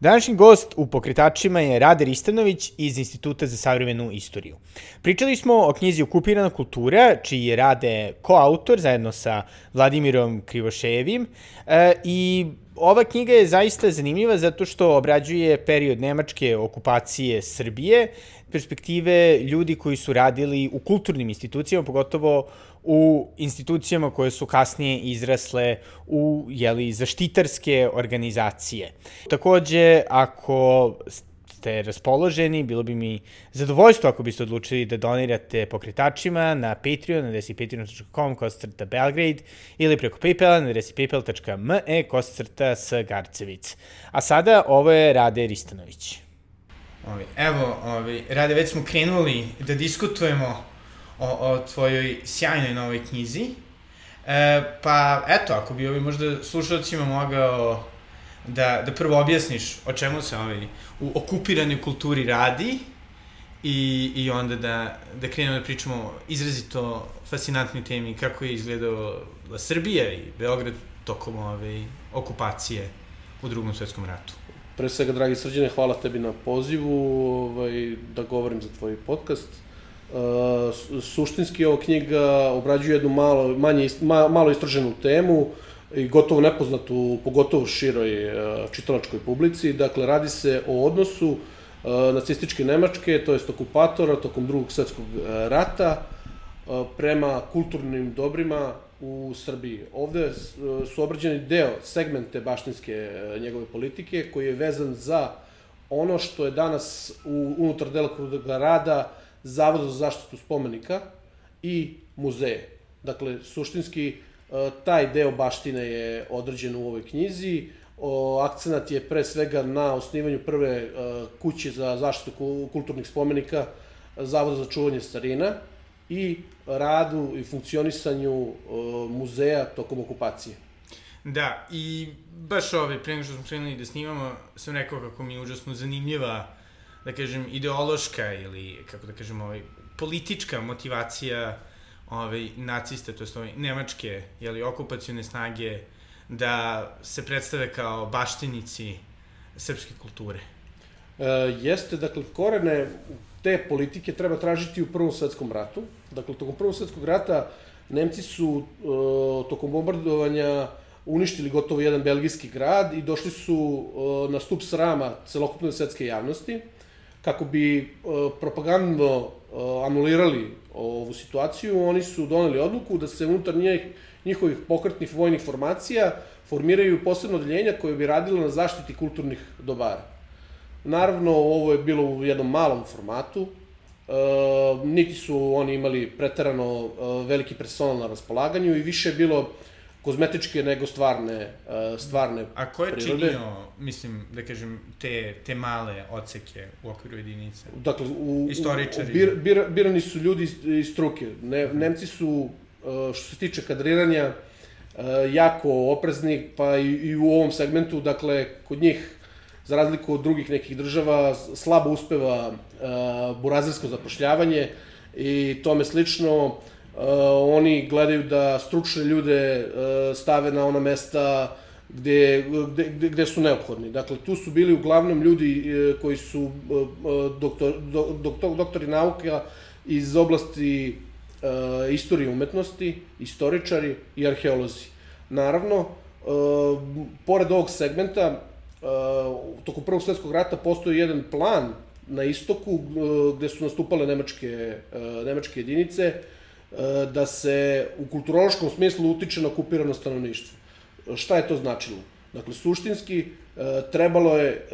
Današnji gost u Pokretačima je Rade Ristanović iz Instituta za savremenu istoriju. Pričali smo o knjizi Okupirana kultura, čiji je Rade koautor zajedno sa Vladimirom Krivošejevim i ova knjiga je zaista zanimljiva zato što obrađuje period nemačke okupacije Srbije, perspektive ljudi koji su radili u kulturnim institucijama, pogotovo u institucijama koje su kasnije izrasle u zaštitarske organizacije. Takođe, ako ste raspoloženi, bilo bi mi zadovoljstvo ako biste odlučili da donirate Pokretačima na Patreon, na adresi patreon.com/Belgrade ili preko Paypala na adresi paypal.me/Sgarcevic. A sada, ovo je Rade Ristanović. Rade, već smo krenuli da diskutujemo o tvojoj sjajnoj novoj knjizi. Pa, eto, ako bi možda slušalcima mogao da prvo objasniš o čemu se u okupiranoj kulturi radi i onda da krenemo da pričamo o izrazito fascinantnoj temi kako je izgledala Srbija i Beograd tokom okupacije u Drugom svetskom ratu. Pre svega, dragi Srđane, hvala tebi na pozivu da govorim za tvoj podcast. Suštinski, ova knjiga obrađuje jednu malo istraženu temu i gotovo nepoznatu, pogotovo široj čitalačkoj publici. Dakle, radi se o odnosu nacističke Nemačke, to jest okupatora, tokom Drugog svetskog rata, prema kulturnim dobrima u Srbiji. Ovde su obrađeni segmente baštinske njegove politike, koji je vezan za ono što je danas unutar delokruga rada Zavoda za zaštitu spomenika i muzeje. Dakle, suštinski, taj deo baštine je određen u ovoj knjizi. Akcenat je pre svega na osnivanju prve kuće za zaštitu kulturnih spomenika Zavoda za čuvanje starina i radu i funkcionisanju muzeja tokom okupacije. Da, i baš pre nego što smo krenuli da snimamo, sam rekao kako mi je užasno zanimljiva, da kažem, ideološka ili, kako da kažem, politička motivacija nacista, to je nemačke okupacione snage, da se predstave kao baštinici srpske kulture. Jeste, dakle, korene te politike treba tražiti u Prvom svetskom ratu. Dakle, tokom Prvog svetskog rata Nemci su tokom bombardovanja uništili gotovo jedan belgijski grad i došli su na stub srama celokupne svetske javnosti. Kako bi propagandno anulirali ovu situaciju, oni su doneli odluku da se unutar njihovih pokretnih vojnih formacija formiraju posebno odeljenja koje bi radilo na zaštiti kulturnih dobara. Naravno, ovo je bilo u jednom malom formatu, niti su oni imali preterano veliki personal na raspolaganju i više je bilo kozmetičke nego stvarne prirode. A ko je činio, mislim, da kažem, te male odseke u okviru jedinice? Dakle, istoričari? Birani su ljudi iz struke. Nemci su, što se tiče kadriranja, jako oprezni, pa i u ovom segmentu, dakle, kod njih, za razliku od drugih nekih država, slabo uspeva burazersko zapošljavanje i tome slično. Oni gledaju da stručne ljude stave na ona mesta gde su neophodni. Dakle, tu su bili uglavnom ljudi koji su doktori nauka iz oblasti istorije umetnosti, istoričari i arheolozi. Naravno, pored ovog segmenta, tokom Prvog svetskog rata postoji jedan plan na istoku gde su nastupale nemačke jedinice, da se u kulturološkom smislu utiče na okupirano stanovništvo. Šta je to značilo? Dakle, suštinski, trebalo je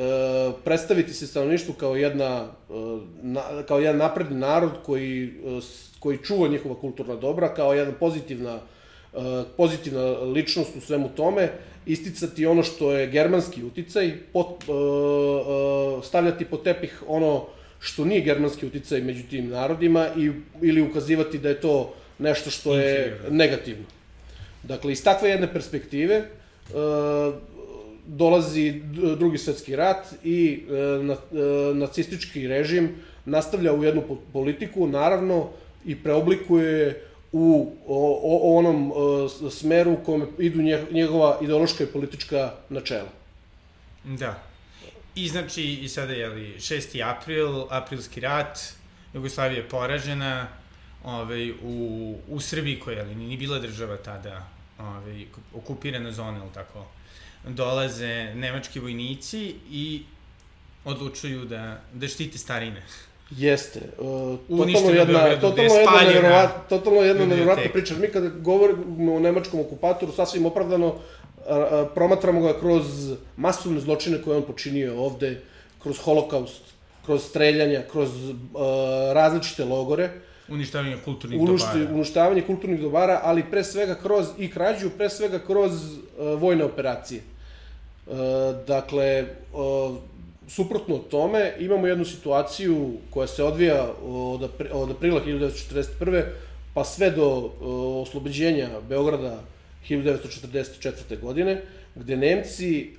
predstaviti se stanovništvu kao jedan napredni narod koji čuva njihova kulturna dobra, kao jedna pozitivna ličnost u svemu tome, isticati ono što je germanski uticaj, stavljati pod tepih ono što nije germanski uticaj među tim narodima ili ukazivati da je to nešto što je negativno. Dakle, iz takve jedne perspektive dolazi Drugi svetski rat i nacistički režim nastavlja u jednu politiku, naravno, i preoblikuje u onom smeru u kome idu njegova ideološka i politička načela. Da. I znači, i sada je li 6. april, aprilski rat, Jugoslavija je poražena, u Srbiji koja je ni bila država tada, okupirana zona, ili tako, dolaze nemački vojnici i odlučuju da štite starine. Jeste. Totalno jedna nevjerovatna priča. Mi kada govorimo o nemačkom okupatoru, sasvim opravdano promatramo ga kroz masovne zločine koje on počinio ovde, kroz holokaust, kroz streljanja, kroz različite logore. Uništavanje kulturnih dobara, ali pre svega kroz i krađu, pre svega kroz vojne operacije. Dakle, suprotno tome, imamo jednu situaciju koja se odvija od aprila 1941. pa sve do oslobođenja Beograda 1944. godine, gde Nemci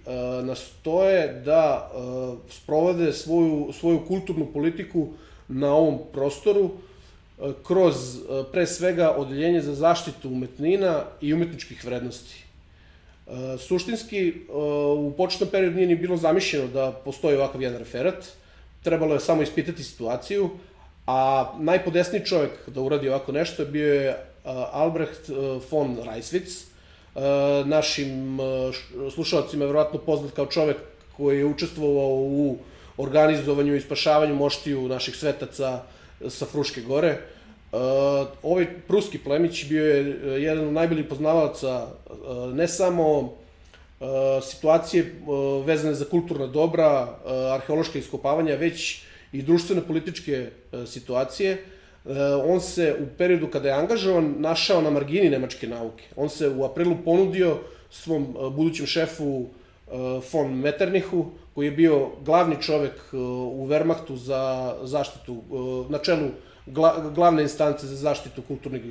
nastoje da sprovode svoju kulturnu politiku na ovom prostoru kroz, pre svega, odeljenje za zaštitu umetnina i umetničkih vrednosti. Suštinski, u početnom periodu nije ni bilo zamišljeno da postoji ovakav jedan referat. Trebalo je samo ispitati situaciju, a najpodesniji čovjek da uradi ovako nešto bio je Albrecht von Reiswitz, našim slušalcima je verovatno poznat kao čovjek koji je učestvovao u organizovanju i spašavanju moštiju naših svetaca sa Fruške gore. Ovaj pruski plemić bio je jedan od najboljih poznavalaca ne samo situacije vezane za kulturna dobra, arheološka iskopavanja, već i društveno-političke situacije. On se u periodu kada je angažovan našao na margini nemačke nauke. On se u aprilu ponudio svom budućem šefu von Metternichu, koji je bio glavni čovek u Wehrmachtu za zaštitu, na čelu glavne instance za zaštitu kulturnih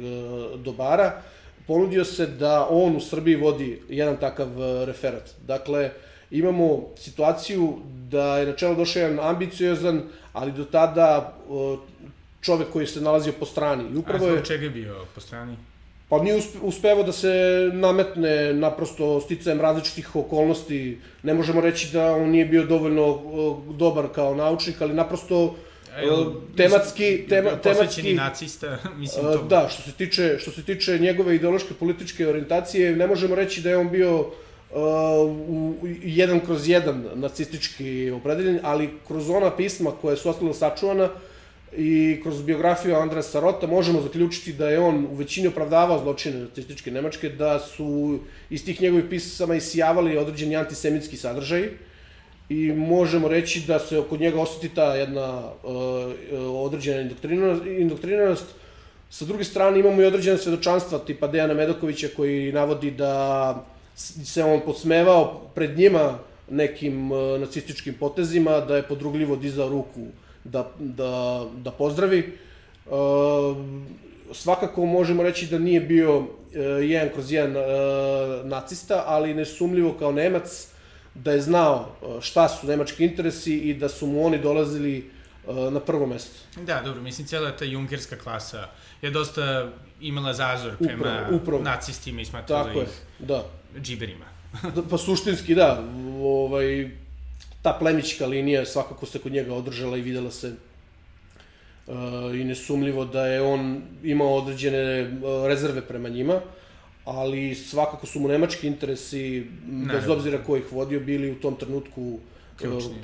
dobara. Ponudio se da on u Srbiji vodi jedan takav referat. Dakle, imamo situaciju da je na čelo došao jedan ambiciozan, ali do tada čovek koji se nalazio po strani. A zbog čega je bio po strani? Pa nije uspevao da se nametne naprosto sticajem različitih okolnosti. Ne možemo reći da on nije bio dovoljno dobar kao naučnik, ali naprosto tematski... Posvećeni nacista, mislim to. Da, što se tiče njegove ideološke političke orijentacije, ne možemo reći da je on bio jedan kroz jedan nacistički opredeljen, ali kroz ona pisma koja su ostala sačuvana i kroz biografiju Andreasa Rota možemo zaključiti da je on u većini opravdavao zločine nacističke Nemačke, da su iz tih njegovih pisama isijavali određeni antisemitski sadržaji i možemo reći da se oko njega osjeti ta jedna određena indoktrinanost. Sa druge strane imamo i određene svedočanstva tipa Dejana Medakovića koji navodi da se on podsmevao pred njima nekim nacističkim potezima, da je podrugljivo dizao ruku da pozdravi. Svakako možemo reći da nije bio jedan kroz jedan nacista, ali nesumljivo kao Nemac da je znao šta su nemački interesi i da su mu oni dolazili na prvo mesto. Da, dobro, mislim, cijela ta junkerska klasa je dosta imala zazor prema nacistima i smatrala ih džiberima. Pa suštinski, da. Ta plemićka linija svakako se kod njega održala i videla se i nesumljivo da je on imao određene rezerve prema njima, ali svakako su mu nemački interesi, bez obzira ko ih vodio, bili u tom trenutku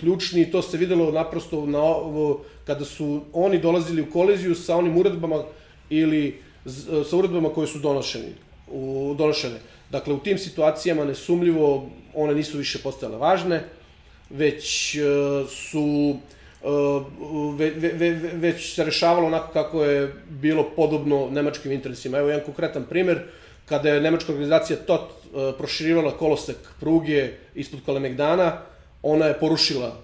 ključni i to se videlo naprosto kada su oni dolazili u koliziju sa onim uredbama ili sa uredbama koje su donošene. Dakle, u tim situacijama nesumljivo one nisu više postajale važne, već se rešavalo onako kako je bilo podobno nemačkim interesima. Evo jedan konkretan primer, kada je nemačka organizacija TOT proširivala kolosek pruge ispod Kalemegdana, ona je porušila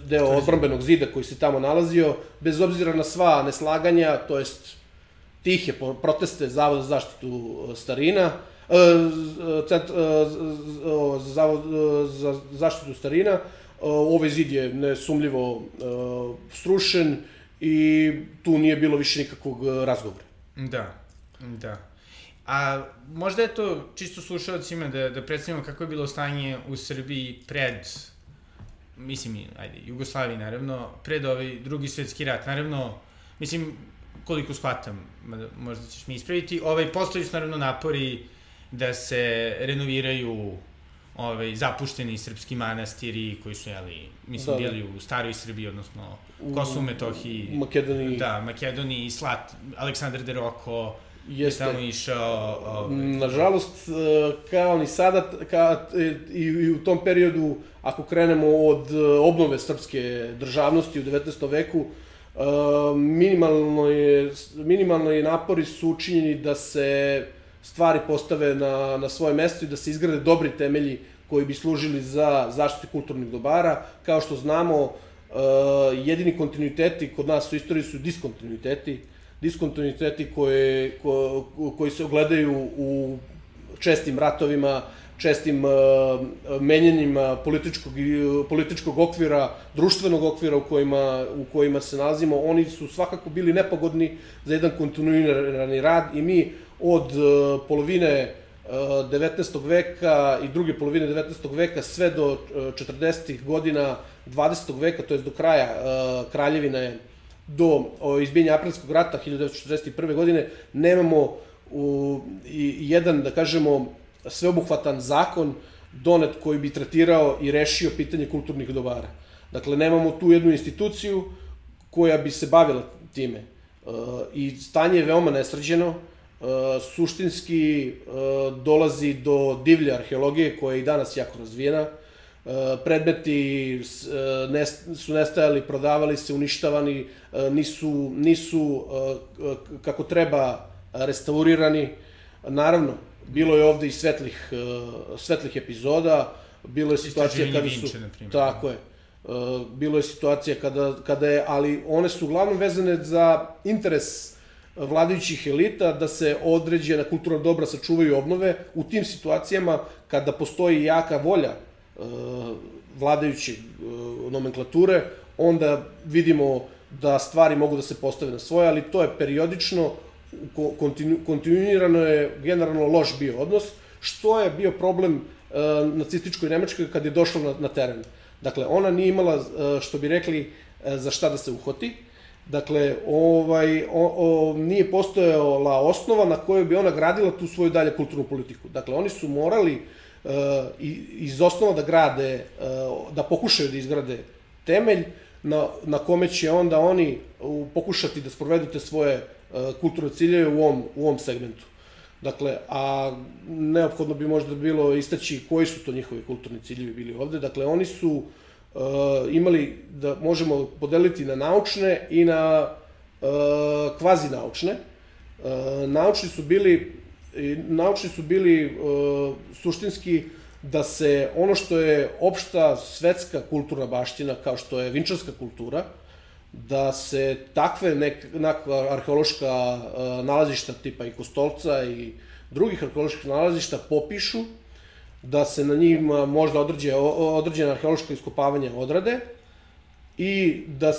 deo odbrambenog zida koji se tamo nalazio, bez obzira na sva neslaganja, to jest tihe proteste Zavoda za zaštitu starina, Zavod za zaštitu starina. Ovaj zid je nesumljivo srušen i tu nije bilo više nikakvog razgovora. Da. A možda je to čisto slušalcima da predstavimo kako je bilo stanje u Srbiji pred mislim, ajde, Jugoslaviji, naravno, pred ovaj drugi svetski rat, naravno, mislim, koliko shvatam, možda ćeš mi ispraviti, postoji su naravno napori da se renoviraju zapušteni srpski manastiri koji su, mislim, bili u staroj Srbiji, odnosno Kosovu, Metohiji, Makedoniji. Da, Makedoniji, Aleksandar de Roko je tamo išao. Nažalost, kao ni sada, i u tom periodu, ako krenemo od obnove srpske državnosti u 19. veku, minimalni napori su učinjeni da se stvari postave na svoje mesto i da se izgrade dobri temelji koji bi služili za zaštitu kulturnih dobara. Kao što znamo, jedini kontinuiteti kod nas u istoriji su diskontinuiteti koji se ogledaju u čestim ratovima, čestim menjanjima političkog okvira, društvenog okvira u kojima se nalazimo. Oni su svakako bili nepogodni za jedan kontinuirani rad i mi od polovine 19. veka i druge polovine 19. veka sve do 40. godina 20. veka, to je do kraja kraljevine, do izbijanja Aprilskog rata 1941. godine, nemamo jedan, da kažemo, sveobuhvatan zakon donet koji bi tretirao i rešio pitanje kulturnih dobara. Dakle, nemamo tu jednu instituciju koja bi se bavila time. I stanje je veoma nesređeno, suštinski dolazi do divlje arheologije koja je i danas jako razvijena. Predmeti su nestajali, prodavali se, uništavani, nisu kako treba restaurirani. Naravno, bilo je ovde i svetlih epizoda, bilo je situacija kada su... Tako je. Bilo je situacija kada je, ali one su uglavnom vezane za interes vladajućih elita da se određena kulturna dobra sačuvaju i obnove. U tim situacijama, kada postoji jaka volja vladajuće nomenklature, onda vidimo da stvari mogu da se postave na svoje, ali to je periodično, kontinuirano je generalno loš bio odnos, što je bio problem nacističkoj Nemačkoj kad je došla na teren. Dakle, ona nije imala, što bi rekli, za šta da se uhvati. Dakle, nije postojala osnova na kojoj bi ona gradila tu svoju dalje kulturnu politiku. Dakle, oni su morali iz osnova da grade, da pokušaju da izgrade temelj na kome će onda oni pokušati da sprovedu te svoje kulturne ciljeve u ovom segmentu. Dakle, a neophodno bi možda bilo istaći koji su to njihovi kulturni ciljevi bili ovde. Dakle, oni su imali, da možemo podeliti na naučne i na kvazi-naučne. Naučni su bili suštinski da se ono što je opšta svetska kulturna baština, kao što je vinčarska kultura, da se takve arheološka nalazišta tipa i Kostolca i drugih arheoloških nalazišta popišu, da se na njima možda određena arheološka iskopavanja odrade i da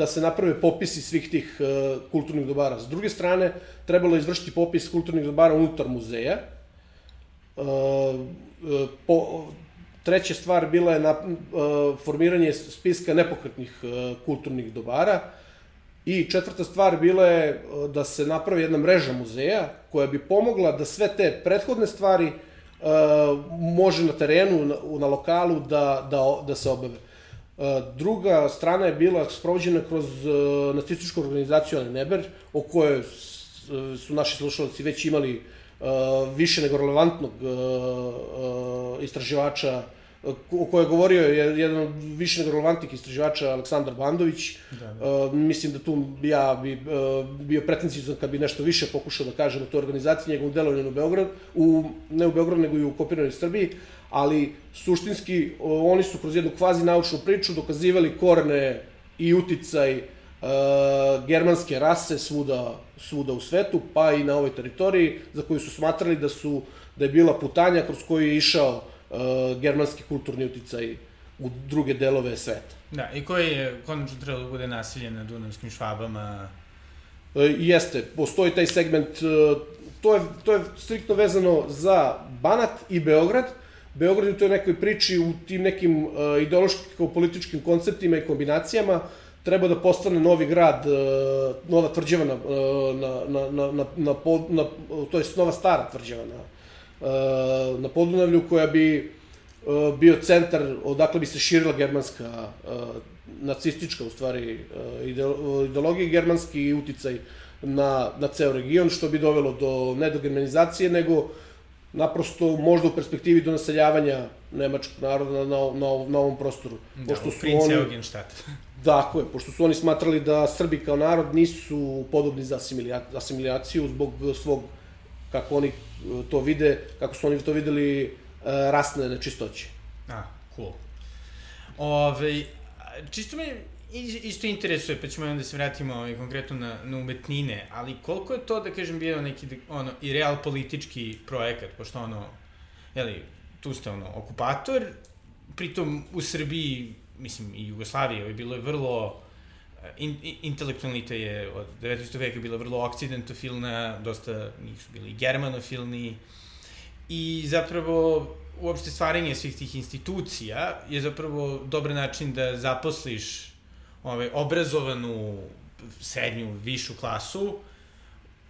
se naprave popisi svih tih kulturnih dobara. S druge strane, trebalo je izvršiti popis kulturnih dobara unutar muzeja. Treća stvar bila je formiranje spiska nepokretnih kulturnih dobara i četvrta stvar bila je da se napravi jedna mreža muzeja koja bi pomogla da sve te prethodne stvari može na terenu, na lokalu da se obave. Druga strana je bila sprovođena kroz nacističku organizaciju Neber, o kojoj su naši slušalci već imali više nego relevantnog istraživača, o kojoj je govorio jedan od više nego relevantnih istraživača, Aleksandar Bandović. Mislim da tu ja bi bio pretenciozan kad bi nešto više pokušao da kažem o toj organizaciji, njegovom delovanju ne u Beogradu, nego i u okupiranoj Srbiji, ali suštinski oni su kroz jednu kvazi-naučnu priču dokazivali korene i uticaj germanske rase svuda u svetu, pa i na ovoj teritoriji, za koju su smatrali da je bila putanja kroz koju je išao germanski kulturni uticaj u druge delove sveta. Da, i koji je konačno trebalo da bude nasilje na dunavskim Švabama? Jeste, postoji taj segment, to je striktno vezano za Banat i Beograd. Beograd je u toj nekoj priči, u tim nekim ideološko-političkim konceptima i kombinacijama, treba da postane novi grad, nova tvrđava to je nova stara tvrđava na Podunavlju, koja bi bio centar odakle bi se širila germanska, nacistička u stvari ideologija i germanski uticaj na ceo region, što bi dovelo ne do germanizacije, nego naprosto možda u perspektivi do naseljavanja nemačkog naroda na ovom prostoru. Da, u Prince Eugenstadt. Dakle, pošto su oni smatrali da Srbi kao narod nisu podobni za asimiljaciju zbog svog, kako oni to vide, kako su oni to videli, rasne nečistoće. Cool. Čisto me isto interesuje, pa ćemo onda se vratimo konkretno na umetnine, ali koliko je to, da kažem, bio neki i real politički projekat, pošto tu ste okupator, pritom u Srbiji, mislim i Jugoslavije, bilo je vrlo intelektualni je od 19. veka bila vrlo okcidentofilna, dosta njih su bili germanofilni i zapravo uopšte stvaranje svih tih institucija je zapravo dobar način da zaposliš obrazovanu srednju, višu klasu,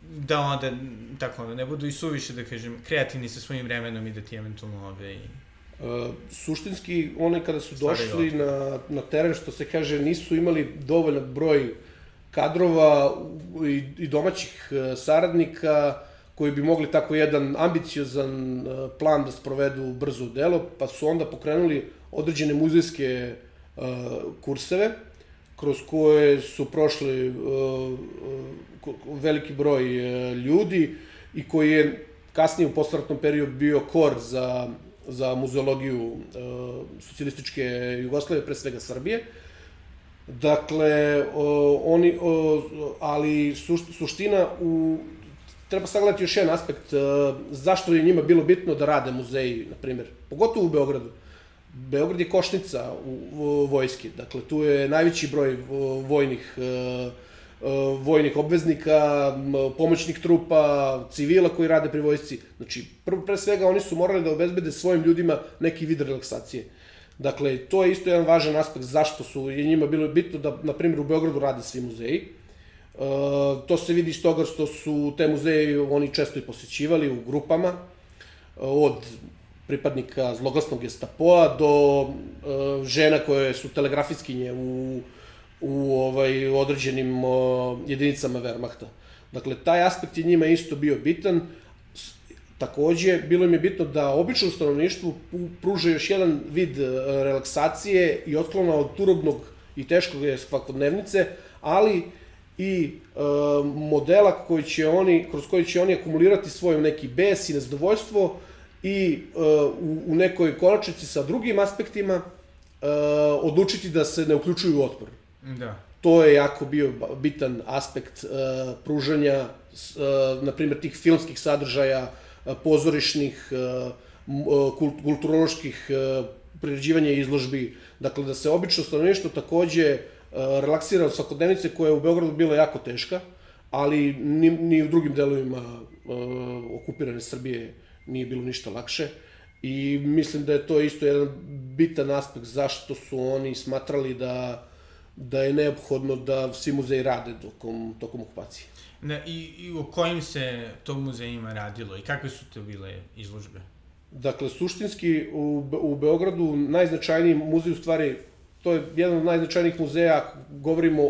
da onda ne budu i suviše, da kažem, kreativni sa svojim vremenom i da ti eventualno suštinski, oni kada su došli na teren, što se kaže, nisu imali dovoljan broj kadrova i domaćih saradnika koji bi mogli tako jedan ambiciozan plan da sprovedu brzo u delo, pa su onda pokrenuli određene muzejske kurseve, kroz koje su prošli veliki broj ljudi i koji je kasnije u postratnom periodu bio kor za muzeologiju socijalističke Jugoslavije, pre svega Srbije. Dakle, ali suština, treba sagledati još jedan aspekt, zašto je njima bilo bitno da rade muzeji, na primjer, pogotovo u Beogradu. Beograd je košnica vojske, dakle, tu je najveći broj vojnih obveznika, pomoćnih trupa, civila koji rade pri vojsci. Znači, pre svega oni su morali da obezbede svojim ljudima neki vid relaksacije. Dakle, to je isto jedan važan aspekt zašto je njima bilo bitno da, na primjer, u Beogradu rade svi muzeji. To se vidi iz toga što su te muzeje oni često i posećivali u grupama, od pripadnika zloglasnog Gestapoa do žena koje su telegrafiskinje u određenim jedinicama Wehrmachta. Dakle, taj aspekt je njima isto bio bitan. Takođe, bilo im je bitno da običnom stanovništvu pruže još jedan vid relaksacije i otklona od turobnog i teškog svakodnevnice, ali i modela kroz koji će oni akumulirati svoj neki bes i nezadovoljstvo i u nekoj konačnici sa drugim aspektima odlučiti da se ne uključuju u otpor. Da. To je jako bio bitan aspekt pružanja, na primjer, tih filmskih sadržaja, pozorišnih, kulturoloških priređivanja i izložbi. Dakle, da se obično stanovništvo takođe relaksira od svakodnevnice koja je u Beogradu bila jako teška, ali ni u drugim delovima okupirane Srbije nije bilo ništa lakše. I mislim da je to isto jedan bitan aspekt zašto su oni smatrali da je neophodno da svi muzeji rade tokom okupacije. I o kojim se to muzejima radilo i kakve su to bile izložbe? Dakle, suštinski u Beogradu najznačajniji muzej, u stvari, to je jedan od najznačajnijih muzeja, govorimo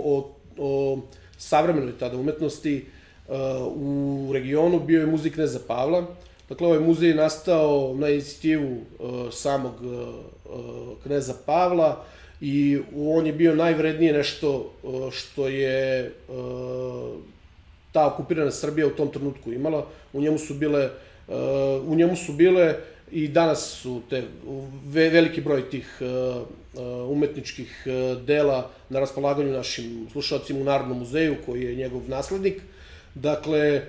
o savremenoj tada umetnosti u regionu, bio je muzej Kneza Pavla. Dakle, ovaj muzej je nastao na inicijativu samog Kneza Pavla i on je bio najvrednije nešto što je ta okupirana Srbija u tom trenutku imala. U njemu su bile i danas su veliki broj tih umetničkih dela na raspolaganju našim slušalcima u Narodnom muzeju, koji je njegov naslednik. Dakle,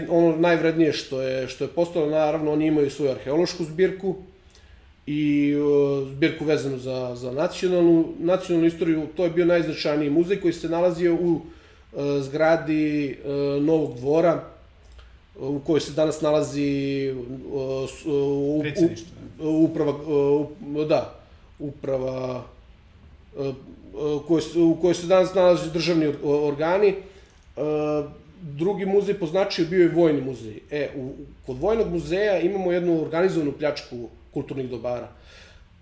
ono najvrednije što je postalo, naravno, oni imaju svoju arheološku zbirku i zbirku vezanu za nacionalnu istoriju. To je bio najznačajniji muzej koji se nalazio u zgradi Novog dvora, u kojoj se danas nalazi uprava u kojoj se danas nalazi državni organi. Drugi muzej po značaju bio je Vojni muzej. Kod Vojnog muzeja imamo jednu organizovanu pljačku kulturnih dobara.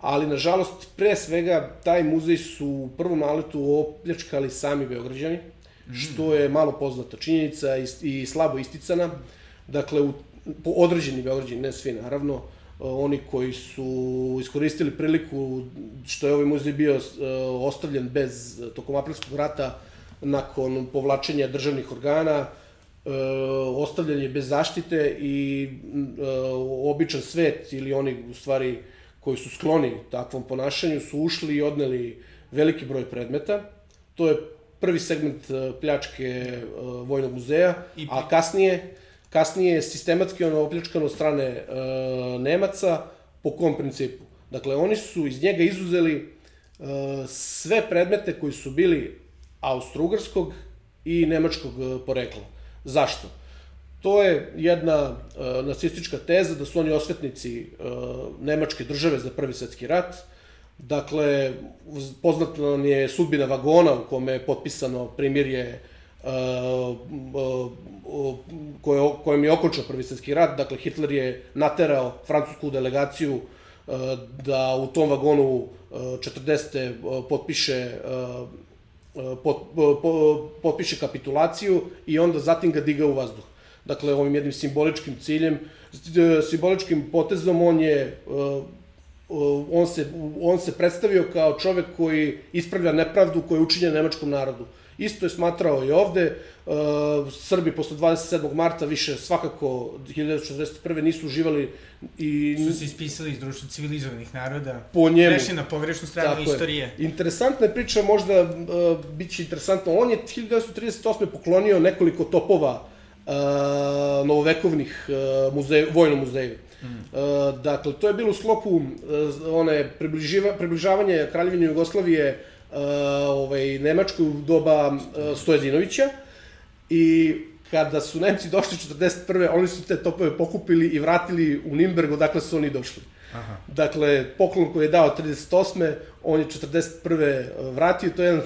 Ali, nažalost, pre svega, taj muzej su u prvom naletu opljačkali sami Beograđani, što je malo poznata činjenica i slabo isticana. Dakle, određeni Beograđani, ne svi naravno, oni koji su iskoristili priliku što je ovaj muzej bio ostavljen tokom aprilskog rata, nakon povlačenja državnih organa, ostavljen je bez zaštite i običan svet ili oni u stvari koji su skloni takvom ponašanju su ušli i odneli veliki broj predmeta. To je prvi segment pljačke Vojnog muzeja, a kasnije je sistematski opljačkano od strane Nemaca. Po kom principu? Dakle, oni su iz njega izuzeli sve predmete koji su bili austrougarskog i nemačkog porekla. Zašto? To je jedna nacistička teza da su oni osvetnici nemačke države za Prvi svetski rat. Dakle, poznata nam je sudbina vagona u kome je potpisano primirje kojim je okončao Prvi svetski rat. Dakle, Hitler je naterao francusku delegaciju da u tom vagonu 40. potpiše kapitulaciju i onda zatim ga diga u vazduh. Dakle, ovim jednim simboličkim potezom on se predstavio kao čovek koji ispravlja nepravdu koja je učinjena nemačkom narodu. Isto je smatrao i ovde. Srbi posle 27. marta više svakako 1941. nisu uživali i... Su se ispisali iz društva civilizovanih naroda. Po njemu. Prešli na pogrešnu stranu istorije. Interesantna je priča, možda biće interesantno. On je 1938. poklonio nekoliko topova novovekovnih Vojnom muzeju. Dakle, to je bilo u sklopu približavanja Kraljevine Jugoslavije Nemačkoj u doba Stojadinovića i kada su Nemci došli 1941. oni su te topove pokupili i vratili u Nimberg, odakle su oni došli. Dakle, poklon koji je dao 1938. on je 1941. vratio, to je jedan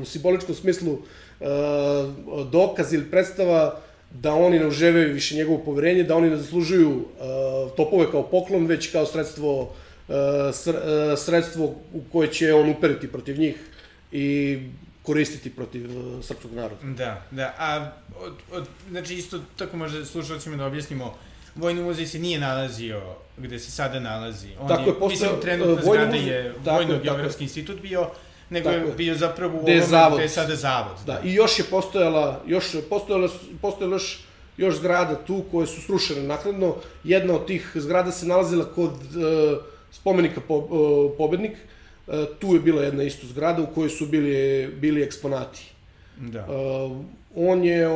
u simboličkom smislu dokaz ili predstava da oni ne uživaju više njegovo poverenje, da oni ne zaslužuju topove kao poklon, već kao sredstvo u koje će on uperiti protiv njih i koristiti protiv srpskog naroda. Da. A, znači, isto tako možda slušalcima da objasnimo, Vojni muzej se nije nalazio gde se sada nalazi. Mislim, trenutna zgrada je Vojno-geografski institut bio, nego je bio zapravo u ovome gde je sada zavod. Da, i još je postojala još zgrada tu koje su srušene naknadno. Jedna od tih zgrada se nalazila kod spomenika Pobednik. Tu je bila jedna isto zgrada u kojoj su bili eksponati. Da. On je,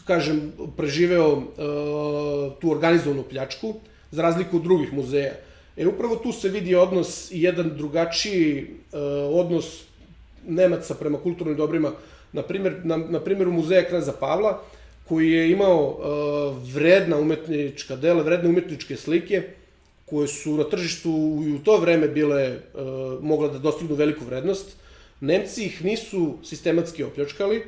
kažem, preživeo tu organizovanu pljačku, za razliku od drugih muzeja. Upravo tu se vidi odnos i jedan drugačiji odnos Nemaca prema kulturnim dobrima. Na primjeru muzeja Kneza Pavla, koji je imao vredna umetnička dela, vredne umetničke slike, koje su na tržištu i u to vreme mogla da dostignu veliku vrednost. Nemci ih nisu sistematski opljačkali,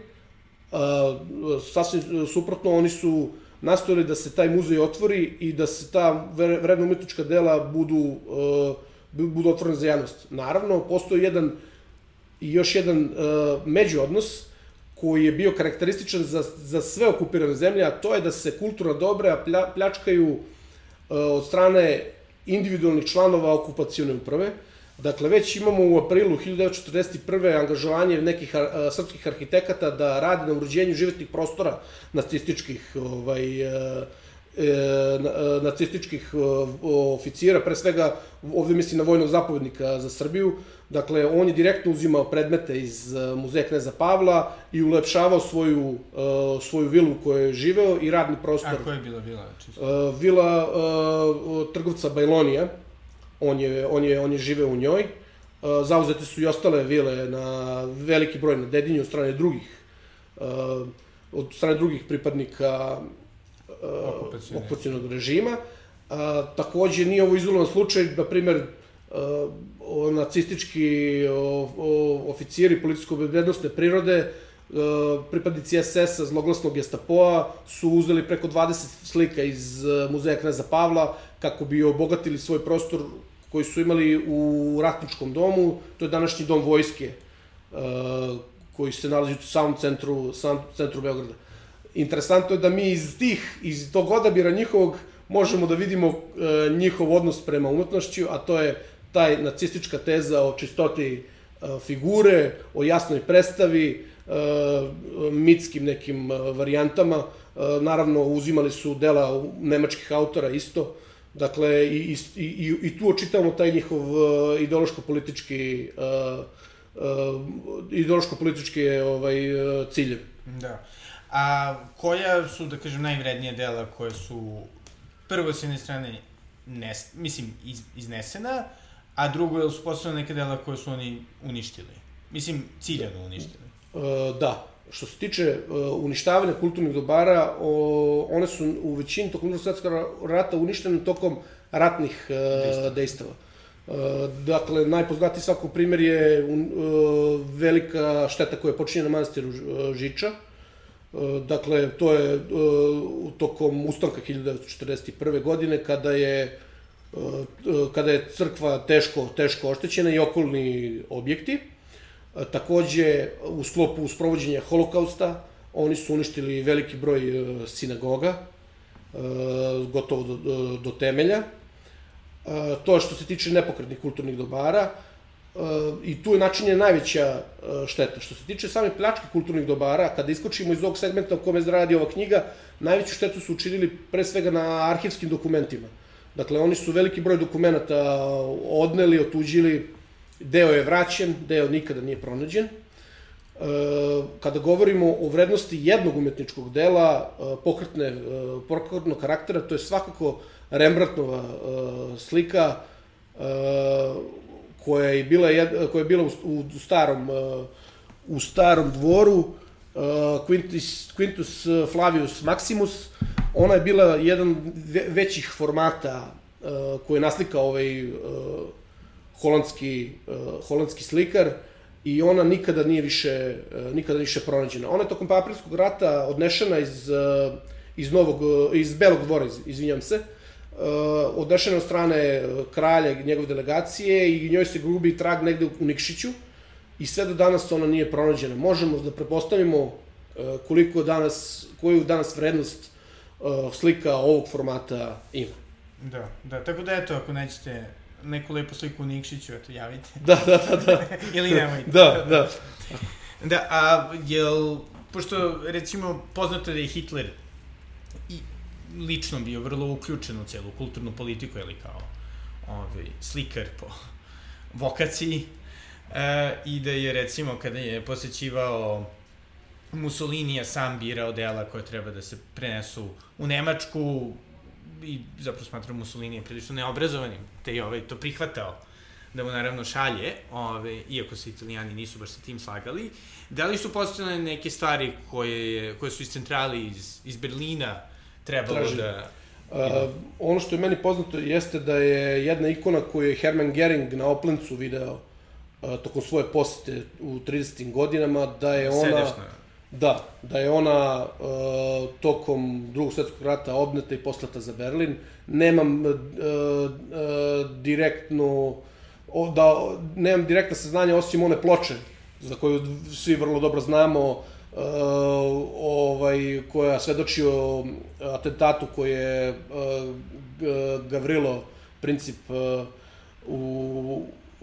sasvim suprotno, oni su nastojali da se taj muzej otvori i da se ta vredna umetnička dela budu otvorene za javnost. Naravno, postoji još jedan međuodnos koji je bio karakterističan za sve okupirane zemlje, a to je da se kulturna dobra pljačkaju od strane individualnih članova okupacione uprave. Dakle, već imamo u aprilu 1941. angažovanje nekih srpskih arhitekata da rade na uređenju životnih prostora nacističkih oficira, pre svega ovde mislim na vojnog zapovednika za Srbiju. Dakle, on je direktno uzimao predmete iz muzeja Kneza Pavla i ulepšavao svoju vilu u kojoj je živeo i radni prostor. A koja je bila vila? Vila trgovca Bajlonija. On je živeo u njoj. Zauzete su i ostale vile na veliki broj na Dedinju od strane drugih od strane drugih pripadnika okupacionog režima. Takođe, nije ovo izolovan slučaj, na primer, nacistički oficiri policijsko-bezbednosne prirode, pripadnici SS-a, zloglasnog Gestapoa, su uzeli preko 20 slika iz muzeja Kneza Pavla kako bi obogatili svoj prostor koji su imali u Ratničkom domu, to je današnji dom vojske, koji se nalazi u samom centru Beograda. Interesantno je da mi iz tog odabira njihovog možemo da vidimo njihov odnos prema umetnošću, a to je taj nacistička teza o čistoti figure, o jasnoj predstavi, mitskim nekim varijantama. Naravno, uzimali su dela nemačkih autora isto. Dakle, i tu očitavamo taj njihov ideološko-politički ciljevi. Da. A koja su, da kažem, najvrednije dela koje su prvo s jedne strane iznesena, a drugo je su postavljena neka dela koje su oni uništili? Mislim, ciljano uništili. Da. Što se tiče uništavanja kulturnih dobara, one su u većini tokom Drugog svetskog rata uništene tokom ratnih dejstava. Dakle, najpoznatiji svakog primer je velika šteta koja je počinjena na manastiru Žiča. Dakle, to je tokom ustanka 1941. godine, kada je crkva teško oštećena i okolni objekti. Takođe, u sklopu sprovođenja holokausta, oni su uništili veliki broj sinagoga, gotovo do temelja. To je što se tiče nepokretnih kulturnih dobara, i tu je načinjena najveća šteta. Što se tiče same pljačke kulturnih dobara, kada iskočimo iz ovog segmenta o kome radi ova knjiga, najveću štetu su učinili pre svega na arhivskim dokumentima. Dakle, oni su veliki broj dokumenta odneli, otuđili, deo je vraćen, deo nikada nije pronađen. Kada govorimo o vrednosti jednog umetničkog dela, pokretnog karaktera, to je svakako Rembrandtova slika, koja je bila u starom dvoru, Quintus Flavius Maximus. Ona je bila jedan većih formata koji je naslikao ovaj holandski slikar, i ona nikada nije više pronađena. Ona je tokom Aprilskog rata odnešena iz Belog dvora, izvinjam se, odnešena od strane kralja i njegove delegacije, i njoj se gubi trag negde u Nikšiću, i sve do danas ona nije pronađena. Možemo da prepostavimo koju danas vrednost slika ovog formata ima. Da, tako da eto, ako nećete neku lepu sliku u Nikšiću, eto, javite. Da. Ili nemojte. Da. Da, a pošto, recimo, poznato da je Hitler lično bio vrlo uključen u celu kulturnu politiku, ili kao slikar po vokaciji, i da je, recimo, kada je posećivao Mussolinija, sam birao dela koje treba da se prenesu u Nemačku, i zapravo smatram Mussolinija prilično neobrazovanim, te je to prihvatao da mu naravno šalje, iako se Italijani nisu baš sa tim slagali. Da li su postavljene neke stvari koje su iz centrale, iz Berlina, trebalo da... Ono što je meni poznato jeste da je jedna ikona koju je Hermann Göring na Oplencu video tokom svoje posete u 30. godinama, da je ona... Sedešna. Da je ona tokom Drugog svetskog rata odneta i poslata za Berlin. Nemam direktna saznanja, osim one ploče, za koju svi vrlo dobro znamo, koja svedoči o atentatu koji je Gavrilo Princip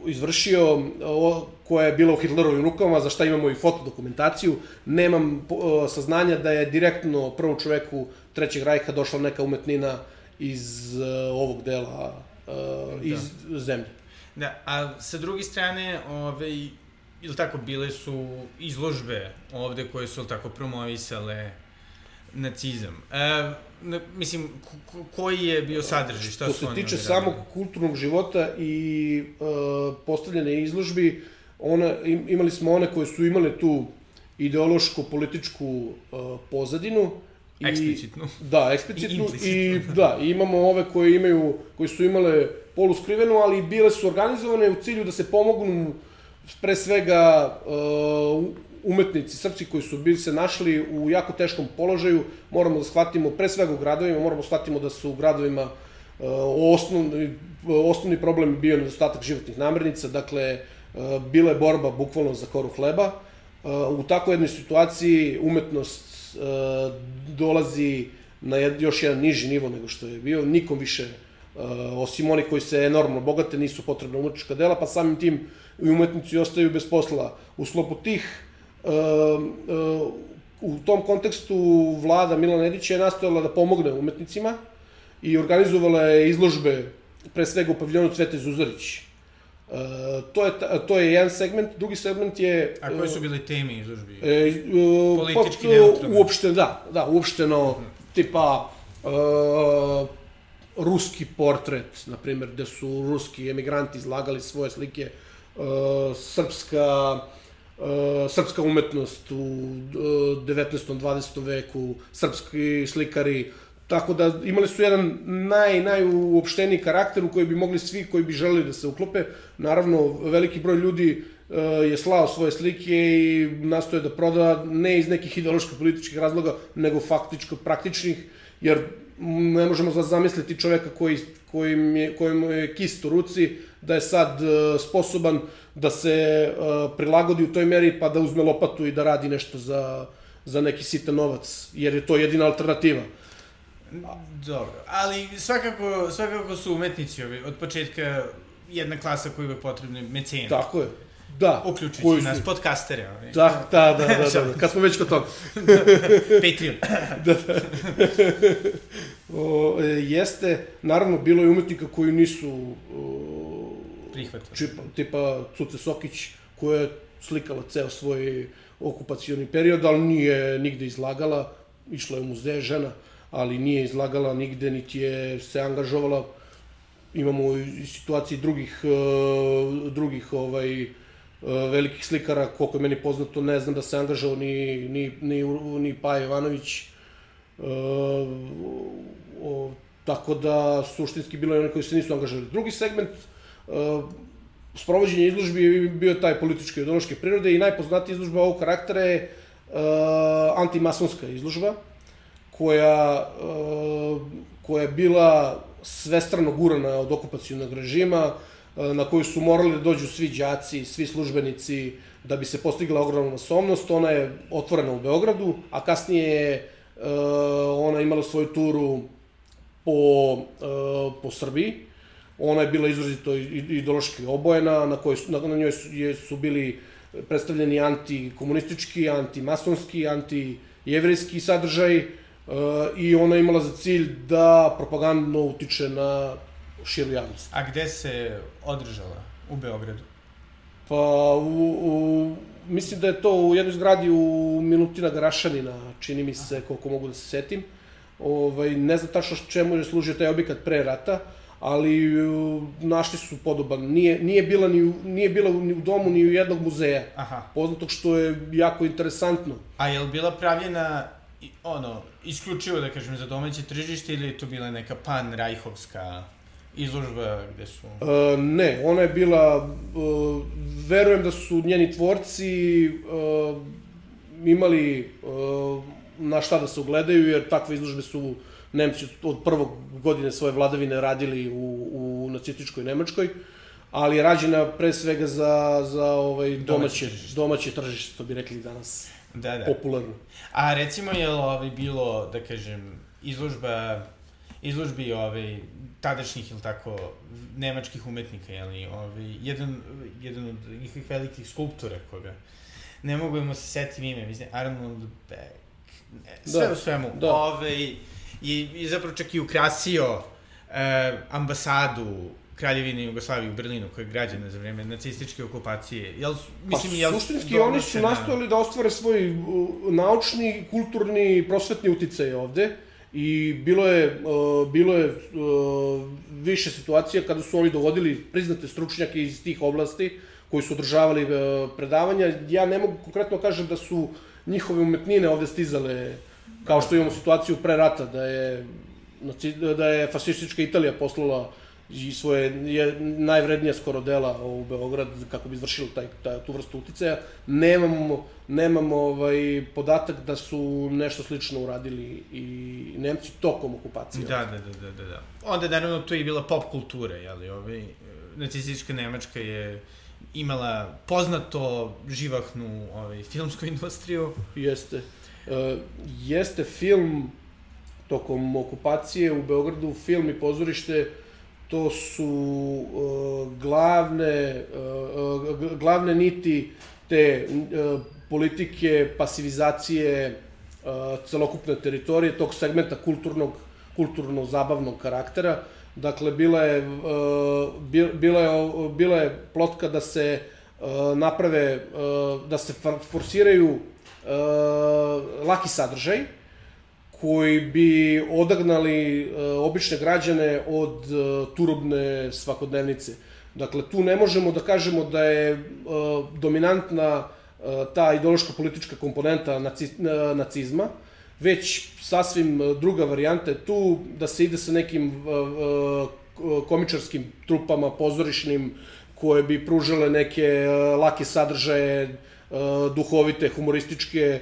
izvršio, koja je bila u Hitlerovim rukama, za šta imamo i fotodokumentaciju. Nemam saznanja da je direktno prvom čoveku Trećeg rajha došla neka umetnina iz ovog dela, iz zemlje. Da, a sa druge strane, ili tako, bile su izložbe ovde koje su, ili tako, promovisale nacizam. Mislim, koji je bio sadržaj? Što se tiče samog kulturnog života i postavljene izložbi, imali smo one koje su imale tu ideološko-političku pozadinu. Eksplicitnu. Da, eksplicitnu. I da, imamo ove koji su imale poluskrivenu, ali bile su organizovane u cilju da se pomognu pre svega umetnici, srpci koji su bili se našli u jako teškom položaju. Moramo da shvatimo, pre svega u gradovima, moramo da shvatimo da su u gradovima osnovni problem bio nedostatak životnih namirnica, dakle, bila je borba bukvalno za koru hleba. U takvoj jednoj situaciji umetnost dolazi na još jedan niži nivo nego što je bio. Nikom više, osim oni koji se enormno bogate, nisu potrebna umetnička dela, pa samim tim i umetnici ostaju bez posla. U sklopu tih, u tom kontekstu vlada Milana Nedića je nastojala da pomogne umetnicima i organizovala je izložbe, pre svega u paviljonu Cvete Zuzorić. To je jedan segment, drugi segment je... A koje su bile teme izložbi? Politički neutralne? Uopšteno, da, uopšteno, tipa ruski portret, na primjer, gde su ruski emigranti izlagali svoje slike, srpska umetnost u 19. 20. veku, srpski slikari, tako da imali su jedan najuopšteniji karakter u koji bi mogli svi koji bi želeli da se uklope. Naravno, veliki broj ljudi je slao svoje slike i nastoje da proda, ne iz nekih ideološko-političkih razloga, nego faktičko praktičnih, jer ne možemo zamisliti čoveka kojemu je kist u ruci, da je sad sposoban da se prilagodi u toj meri pa da uzme lopatu i da radi nešto za neki sitan novac, jer je to jedina alternativa. Dobro, ali svakako su umetnici od početka jedna klasa koja je potrebna mecena. Tako je, da. Uključujući nas podcastere. Da, kad smo već kod toga. Patreon. Jeste, naravno, bilo je umetnika koji nisu prihvatili. Tipa Cuce Sokić, koja je slikala ceo svoj okupacioni period, ali nije nigde izlagala, išla je u muzeje žena, ali nije izlagala nigde, niti je se angažovala. Imamo i situacije drugih velikih slikara, koliko je meni poznato, ne znam da se angažao ni Paja Jovanović. Tako da, suštinski, bilo je oni koji se nisu angažovali. Drugi segment sprovođenja izložbi bio je taj političke i ideološke prirode i najpoznatija izložba ovog karaktera je antimasonska izložba, koja je bila svestrano gurana od okupacionog režima, na koju su morali da dođu svi đaci, svi službenici, da bi se postigla ogromna masovnost. Ona je otvorena u Beogradu, a kasnije je ona imala svoju turu po Srbiji. Ona je bila izrazito ideološki obojena, na njoj su bili predstavljeni antikomunistički, antimasonski, antijevrejski sadržaj, i ona je imala za cilj da propagandno utiče na širu javnost. A gde se održala? U Beogradu? Pa, mislim da je to u jednoj zgradi u Milutina Garašanina, čini mi se, koliko mogu da se setim. Ne znam tačno čemu je služio taj objekat pre rata, ali našli su podoban. Nije bila ni u domu, ni u jednog muzeja. Poznatog, što je jako interesantno. A je li bila pravljena isključivo, da kažem, za domaće tržište, ili je to bila neka pan-rajhovska izložba gde su... Ne, ona je bila, verujem da su njeni tvorci imali na šta da se ugledaju, jer takve izložbe su Nemci od prvog godine svoje vladavine radili u nacističkoj Nemačkoj, ali je rađena pre svega za domaće tržište, što bi rekli danas. Da. Popularno. A recimo je li bilo, da kažem, izložbi tadašnjih ili tako nemačkih umetnika, jedan od njih velikih skulptora koga ne mogu se setim ime, mislim, Arnold Beck, sve u svemu, i zapravo čak i ukrasio ambasadu Kraljevine Jugoslavije u Berlinu, koja je građena za vreme nacističke okupacije. Suštinski, oni su nastojali da ostvare svoj naučni, kulturni, prosvetni uticaj ovde i bilo je više situacija kada su oni dovodili priznate stručnjake iz tih oblasti koji su održavali predavanja. Ja ne mogu konkretno kažem da su njihove umetnine ovde stizale, kao što imamo situaciju pre rata, da je fašistička Italija poslala i svoje najvrednija skoro dela u Beograd kako bi izvršili tu vrstu uticaja. Nemamo podatak da su nešto slično uradili i Nemci tokom okupacije. Da. Onda, naravno, to je bila pop kultura, jeli, nacistička Nemačka je imala poznato živahnu filmsku industriju. Jeste film tokom okupacije u Beogradu, film i pozorište, to su glavne niti te politike pasivizacije celokupne teritorije, tog segmenta kulturno-zabavnog karaktera. Dakle, bila je plotka da se naprave, da se forsiraju laki sadržaj, koji bi odagnali obične građane od turobne svakodnevnice. Dakle, tu ne možemo da kažemo da je dominantna ta ideološko-politička komponenta nacizma, već sasvim druga varijanta je tu, da se ide sa nekim komičarskim trupama, pozorišnim, koje bi pružale neke lake sadržaje, duhovite, humorističke,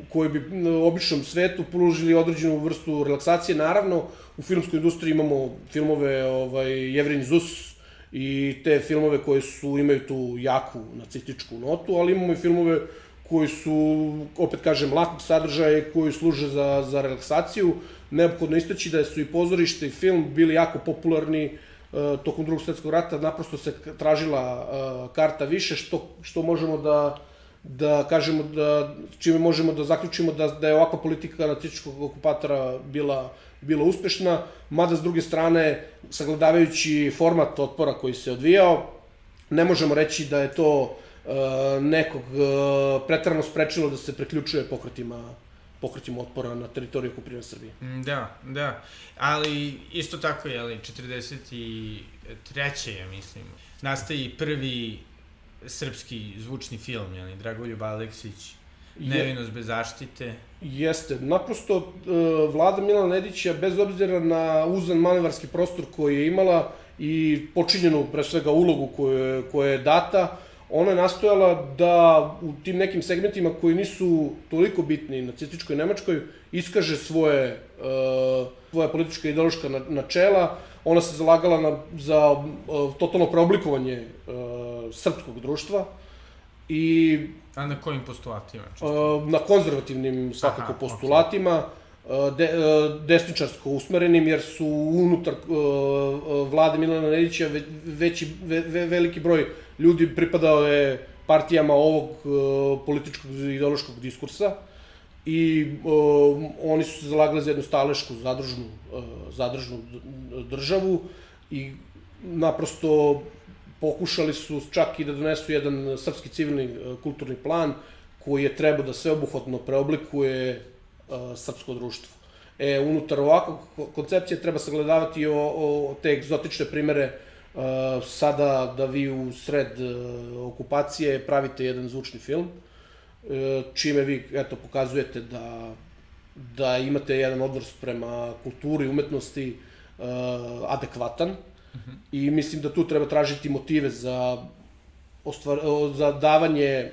koje bi običnom svetu pružili određenu vrstu relaksacije. Naravno, u filmskoj industriji imamo filmove Jevrin Zus i te filmove koje imaju tu jaku nacističku notu, ali imamo i filmove koji su, opet kažem, lakog sadržaja i koji služe za relaksaciju. Neophodno istaći da su i pozorište i film bili jako popularni tokom Drugog svetskog rata, naprosto se tražila karta više, što možemo da kažemo, čime možemo da zaključimo da je ovakva politika nacističkog okupatora bila uspešna, mada s druge strane, sagledavajući format otpora koji se odvijao, ne možemo reći da je to nekog preterano sprečilo da se priključuje pokretima otpora na teritoriju okupirane Srbije. Da, ali isto tako, 43. ja mislim, nastaje prvi srpski zvučni film, Dragoljub Aleksić, Nevinost bez zaštite. Jeste, naprosto vlada Milana Nedića, bez obzira na uzan manevarski prostor koji je imala i počinjenu, pre svega, ulogu koja je data, ona je nastojala da u tim nekim segmentima koji nisu toliko bitni nacističkoj Nemačkoj iskaže svoje politička i ideološka načela. Ona se zalagala za totalno preoblikovanje srpskog društva i... A na kojim postulatima? Na konzervativnim, svakako, postulatima, desničarsko usmerenim, jer su unutar vlade Milana Nedića veliki broj ljudi pripadao je partijama ovog političkog i ideološkog diskursa i oni su se zalagali za jednu stalešku, zadružnu državu i naprosto pokušali su čak i da donesu jedan srpski civilni kulturni plan koji je trebao da sveobuhvatno preoblikuje srpsko društvo. Unutar ovakvog koncepcije treba sagledavati te egzotične primere sada da vi u sred okupacije pravite jedan zvučni film, čime vi, pokazujete da imate jedan odnos prema kulturi, umetnosti adekvatan i mislim da tu treba tražiti motive za davanje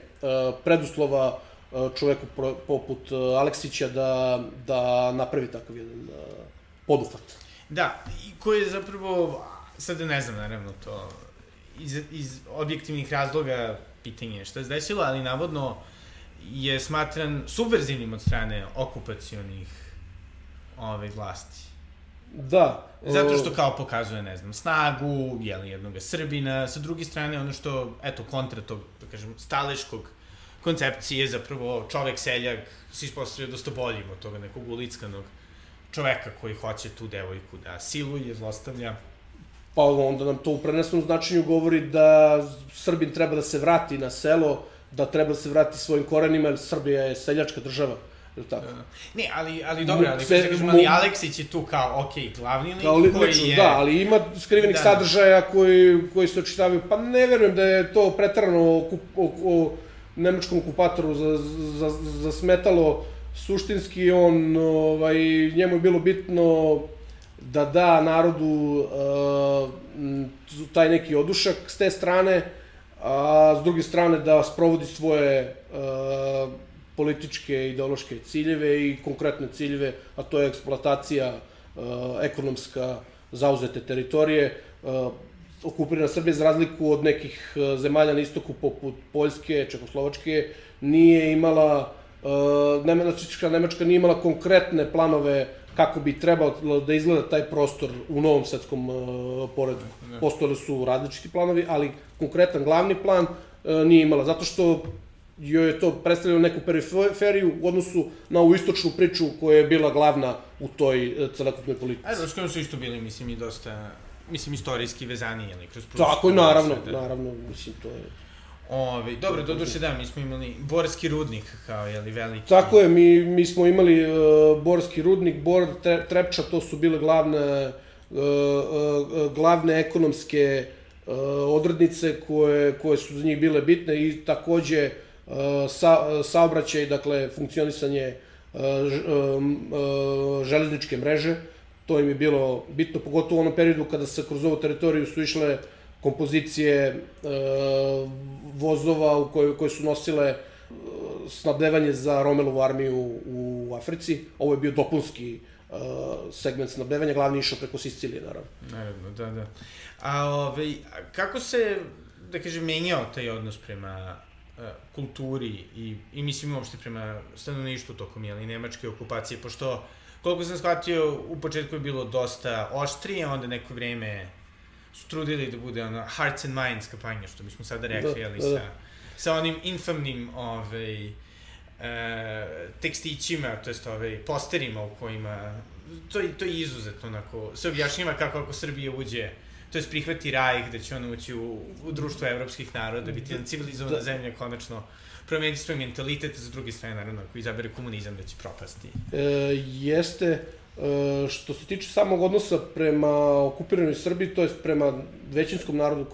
preduslova čoveku poput Aleksića da napravi takav jedan poduhvat. Da, i koji je zapravo, sada ne znam naravno to, iz objektivnih razloga pitanje šta se desilo, ali navodno je smatran subverzivnim od strane okupacionih vlasti. Da. Zato što kao pokazuje, ne znam, snagu, jednog Srbina, sa druge strane ono što, kontra tog, da kažem, staleškog koncepcije, zapravo čovek seljak se ispostavio dosta boljim od toga nekog ulickanog čoveka koji hoće tu devojku da siluje, zlostavlja. Pa onda nam to u prenesenom značenju govori da Srbin treba da se vrati na selo, da treba da se vrati svojim korenima, jer Srbija je seljačka država. tako? Ne, ali dobro, ali Aleksić je tu kao, okej, glavni lik koji je... Da, ali ima skrivenih sadržaja koji se očitavaju, pa ne verujem da je to pretarano o nemačkom okupatoru zasmetalo suštinski, njemu je bilo bitno da da narodu taj neki odušak s te strane, a s druge strane da sprovodi svoje političke, ideološke ciljeve i konkretne ciljeve, a to je eksploatacija ekonomska zauzete teritorije. Okupirana Srbija, za razliku od nekih zemalja na istoku poput Poljske, Čekoslovačke, nije imala, nacistička Nemačka nije imala konkretne planove kako bi trebalo da izgleda taj prostor u novom svetskom poretku. Postojali su različiti planovi, ali konkretan glavni plan nije imala, zato što joj je to predstavljalo neku periferiju u odnosu na ovu istočnu priču koja je bila glavna u toj celokupnoj politici. S kojom su isto bili, mislim, i dosta, istorijski vezani, ali kroz Prusiju. Tako je, naravno, mislim, to je... Dobro, doduše mi smo imali Borski rudnik kao, veliki... Tako je, mi smo imali Borski rudnik, Bor, Trepča, to su bile glavne ekonomske odrednice koje su za njih bile bitne i takođe saobraćaj, dakle, funkcionisanje železničke mreže, to im je bilo bitno, pogotovo u onom periodu kada se kroz ovu teritoriju su išle kompozicije vozova koje su nosile snabdevanje za Romelovu armiju u Africi. Ovo je bio dopunski segment snabdevanja, glavni išao preko Sicilije, naravno. Naravno, da. A kako se, da kažem, menjao taj odnos prema kulturi i mislim uopšte prema stanovništvu tokom nemačke okupacije, pošto, koliko sam shvatio, u početku je bilo dosta oštrije, onda neko vreme su trudili da bude hearts and minds kampanja, što bismo sada rekli, sa onim infamnim tekstićima, to jest posterima u kojima, to je izuzetno onako, se objašnjava kako ako Srbija uđe, to jest prihvati Rajh, da će ona ući u društvo evropskih naroda, biti jedna civilizovana zemlja, konačno promeniti svoj mentalitet, s druge strane, naravno, ako izabere komunizam, da će propasti. Jeste. Što se tiče samog odnosa prema okupiranoj Srbiji, to je prema većinskom narodu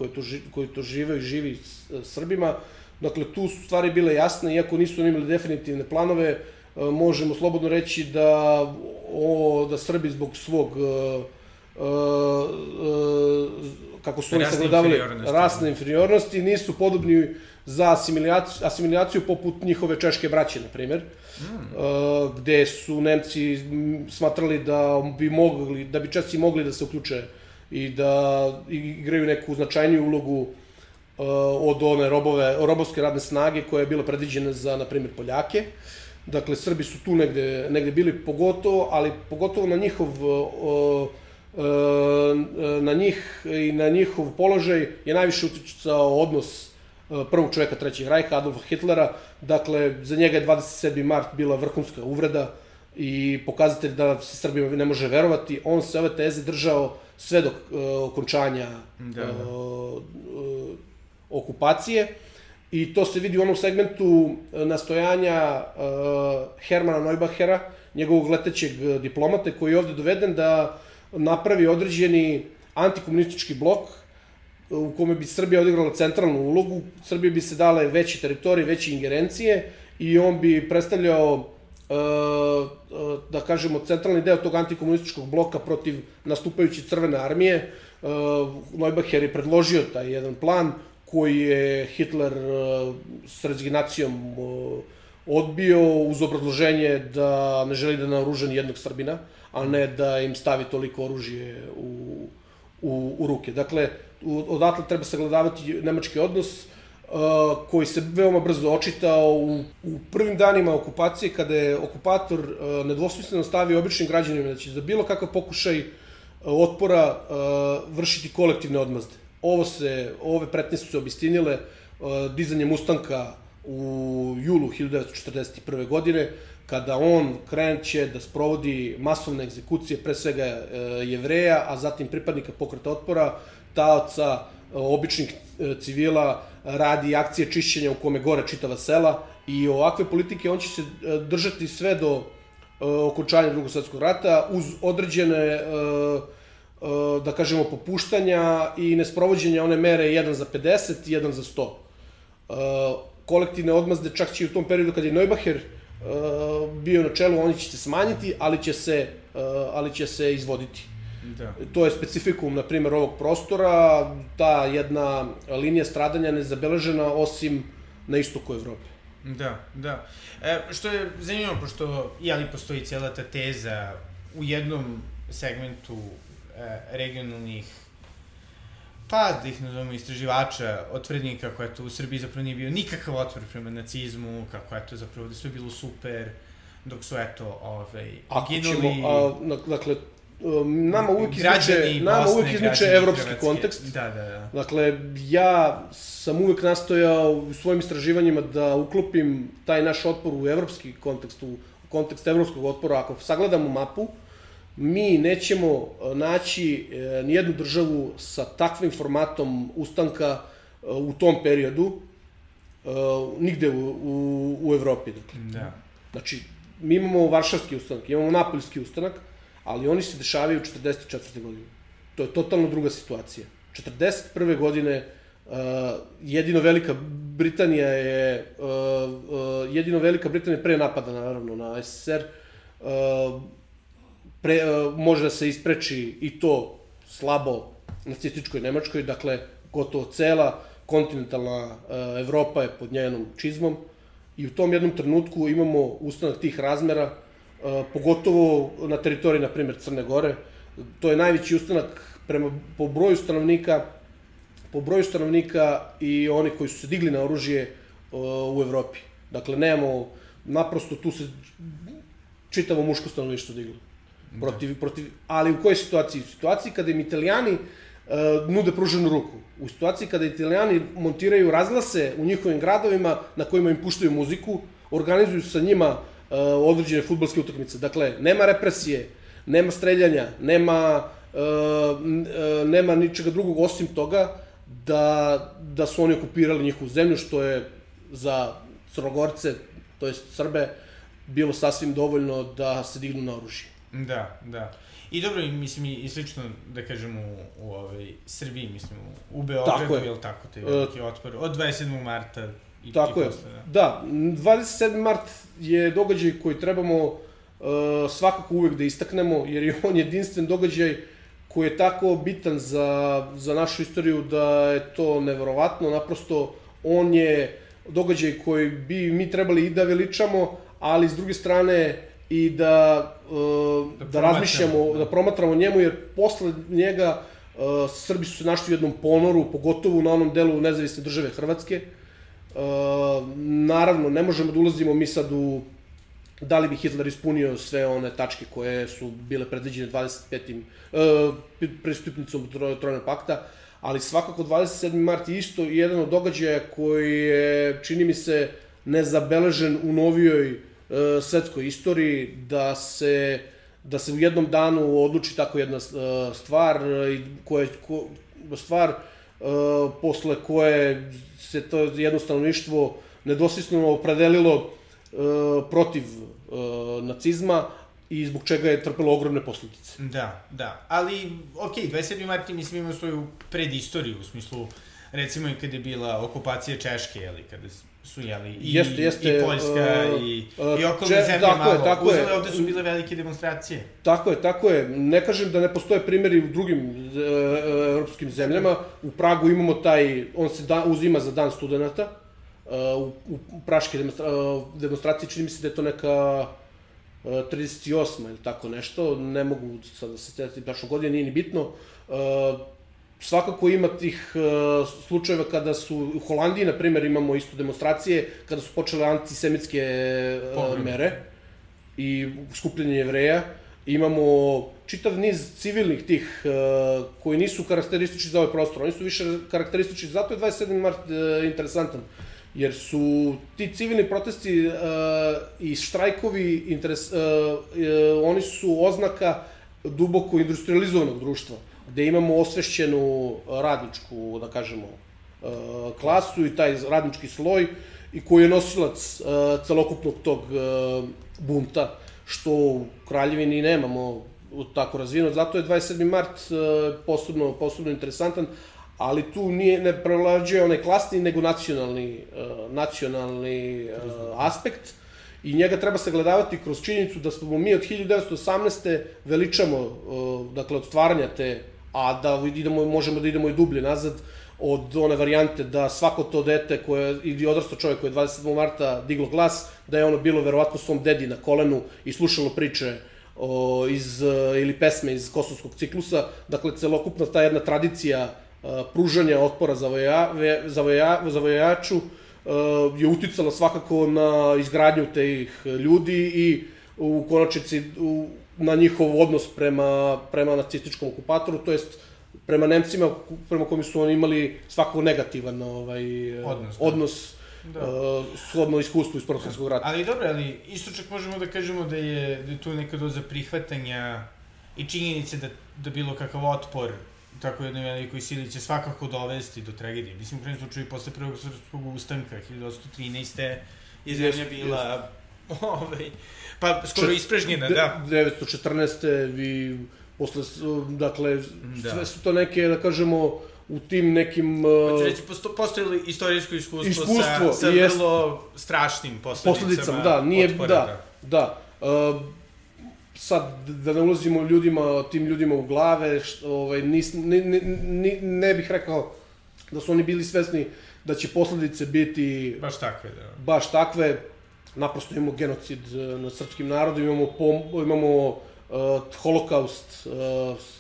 koji to žive i živi Srbima, dakle, tu su stvari bile jasne, iako nisu imali definitivne planove, možemo slobodno reći da Srbi zbog svog, kako su oni sagledavali, rasne inferiornosti, nisu podobni za asimilaciju poput njihove češke braće, na primer, gde su Nemci smatrali da bi Česi mogli da se uključe i da igraju neku značajniju ulogu od one robovske radne snage koja je bila predviđena za, na primjer, Poljake. Dakle, Srbi su tu negde bili pogotovo na njih i na njihov položaj je najviše uticao odnos prvog čoveka Trećeg rajha, Adolfa Hitlera. Dakle, za njega je 27. mart bila vrhunska uvreda i pokazatelj da se Srbima ne može verovati. On se ove teze držao sve do okončanja okupacije i to se vidi u onom segmentu nastojanja Hermana Neubachera, njegovog letećeg diplomate, koji je ovde doveden da napravi određeni antikomunistički blok u kome bi Srbija odigrala centralnu ulogu, Srbiji bi se dale veće teritorije, veće ingerencije i on bi predstavljao, da kažemo, centralni deo tog antikomunističkog bloka protiv nastupajuće Crvene armije. Neubacher je predložio taj jedan plan koji je Hitler s rezignacijom odbio uz obrazloženje da ne želi da naoruža ni jednog Srbina, a ne da im stavi toliko oružje u ruke. Dakle, odatle treba sagledavati nemački odnos koji se veoma brzo očitao u prvim danima okupacije, kada je okupator nedvosmisleno stavio običnim građanima da će za bilo kakav pokušaj otpora vršiti kolektivne odmazde. Ove pretnje su se obistinile dizanjem ustanka u julu 1941. godine, kada on kreće da sprovodi masovne egzekucije, pre svega Jevreja, a zatim pripadnika pokreta otpora, taoca, običnih civila, radi akcije čišćenja u kome gore čitava sela I ovakve politike on će se držati sve do okončanja Drugog svjetskog rata uz određene, da kažemo, popuštanja i nesprovođenja one mere 1 za 50 i 1 za 100. Kolektivne odmazde, čak će i u tom periodu kad je Neubacher bio na čelu, oni će se smanjiti, ali će se izvoditi. Da. To je specifikum, na primjer, ovog prostora, ta jedna linija stradanja nezabeležena osim na istoku Evrope. Da. Što je zanimljivo, pošto postoji cijela ta teza u jednom segmentu regionalnih, pa da ih nazovemo istraživača, otvrdnika, kako je to u Srbiji zapravo nije bio nikakav otpor prema nacizmu, kako je to zapravo da sve bilo super, dok su ginuli... Dakle, nama uvijek izniče evropski kontekst. Da. Dakle, ja sam uvijek nastojao u svojim istraživanjima da uklopim taj naš otpor u evropski kontekst, u kontekst evropskog otpora. Ako sagledamo mapu, mi nećemo naći nijednu državu sa takvim formatom ustanka u tom periodu, nigde u Evropi. Da. Znači, mi imamo Varšavski ustanak, imamo Napoljski ustanak, ali oni se dešavaju 44. godine. To je totalno druga situacija. 41. godine jedino Velika Britanija pre napada, naravno, na SSR, može da se ispreči i to slabo nacističkoj Nemačkoj, dakle, gotovo cela kontinentalna Evropa je pod njenom čizmom i u tom jednom trenutku imamo ustanak tih razmera, pogotovo na teritoriji, na primjer, Crne Gore. To je najveći ustanak po broju stanovnika i oni koji su se digli na oružje u Evropi. Dakle, nemamo, naprosto tu se čitavo muško stanovništvo diglo. Ali u kojoj situaciji? U situaciji kada im Italijani nude pruženu ruku. U situaciji kada Italijani montiraju razglase u njihovim gradovima na kojima im puštaju muziku, organizuju sa njima određene fudbalske utakmice. Dakle, nema represije, nema streljanja, nema ničega drugog osim toga da su oni okupirali njihovu zemlju, što je za Crnogorce, to jest Srbe, bilo sasvim dovoljno da se dignu na oružje. Da. I dobro, mislim, i slično, da kažem, u Srbiji, mislim, u Beogradu, je li tako, taj veliki otpor, od 27. marta i posle. Da, 27. mart je događaj koji trebamo svakako uvek da istaknemo, jer je on jedinstven događaj koji je tako bitan za našu istoriju da je to neverovatno. Naprosto, on je događaj koji bi mi trebali i da veličamo, ali s druge strane i da razmišljamo, da promatramo njemu, jer posle njega Srbi su se našli u jednom ponoru, pogotovo na onom delu nezavisne države Hrvatske. Naravno, ne možemo da ulazimo mi sad u da li bi Hitler ispunio sve one tačke koje su bile predviđene 25. pristupnicom Trojnog pakta, ali svakako 27. mart je isto jedan od događaja koji je, čini mi se, nezabeležen u novijoj svetskoj istoriji, da se u jednom danu odluči tako jedna stvar, posle koje se to jednostavništvo nedvosmisleno opredelilo protiv nacizma i zbog čega je trpelo ogromne posledice. Da, ali, 27. mart, mislim, ima svoju predistoriju, u smislu, recimo i kada je bila okupacija Češke, kada su, i Poljska, i okolne zemlje malo uzele, ovde su bile velike demonstracije. Tako je. Ne kažem da ne postoje primjeri u drugim evropskim zemljama. U Pragu imamo on se uzima za dan studenta, u praške demonstracije, čini mi se da je to neka 38. ili tako nešto, ne mogu sad da se sjetiti baš godine, nije ni bitno. Svakako ima tih slučajeva kada su, u Holandiji, na primjer, imamo isto demonstracije, kada su počele antisemitske mere i skupljanje Jevreja. Imamo čitav niz civilnih tih koji nisu karakteristični za ovaj prostor, oni su više karakteristični, zato je 27. mart interesantan, jer su ti civilni protesti i štrajkovi, oni su oznaka duboko industrializovanog društva, gde imamo osvešćenu radničku, da kažemo, klasu i taj radnički sloj i koji je nosilac celokupnog tog bunta, što u Kraljevini nemamo tako razvijeno. Zato je 27. mart posebno interesantan, ali tu ne prevlađuje onaj klasni, nego nacionalni aspekt, i njega treba sagledavati kroz činjenicu da smo mi od 1918. veličamo, dakle, od stvaranja te, a da možemo da idemo i dublje nazad, od one varijante da svako to dete ili odrastao čovjek koji je 27. marta diglo glas, da je ono bilo verovatno svom dedi na kolenu i slušalo priče ili pesme iz Kosovskog ciklusa. Dakle, celokupna ta jedna tradicija pružanja otpora zavojevaču je uticala svakako na izgradnju tih ljudi i u konačnici na njihov odnos prema nacističkom okupatoru, to jest prema Nemcima, prema kojima su oni imali svakako negativan odnos shodno iskustvu iz Prvog svjetskog rata. Ali dobro, ali isto čak možemo da kažemo da je tu neka doza prihvatanja i činjenice da bilo kakav otpor tako jednoj velikoj sili će svakako dovesti do tragedije. Mislim, u krajnjem slučaju, posle Prvog srpskog ustanka, 1813. je zemlja bila pa skoro ispražnjena, da. 1914. i posle, dakle, sve su to neke, da kažemo, u tim nekim... Hoću reći, postojilo istorijsko iskustvo sa vrlo strašnim posledicama otpora. Da. Sad, da ne ulazimo tim ljudima u glave, ne bih rekao da su oni bili svesni da će posledice biti... Baš takve. Naprosto imamo genocid nad srpskim narodom, imamo holokaust,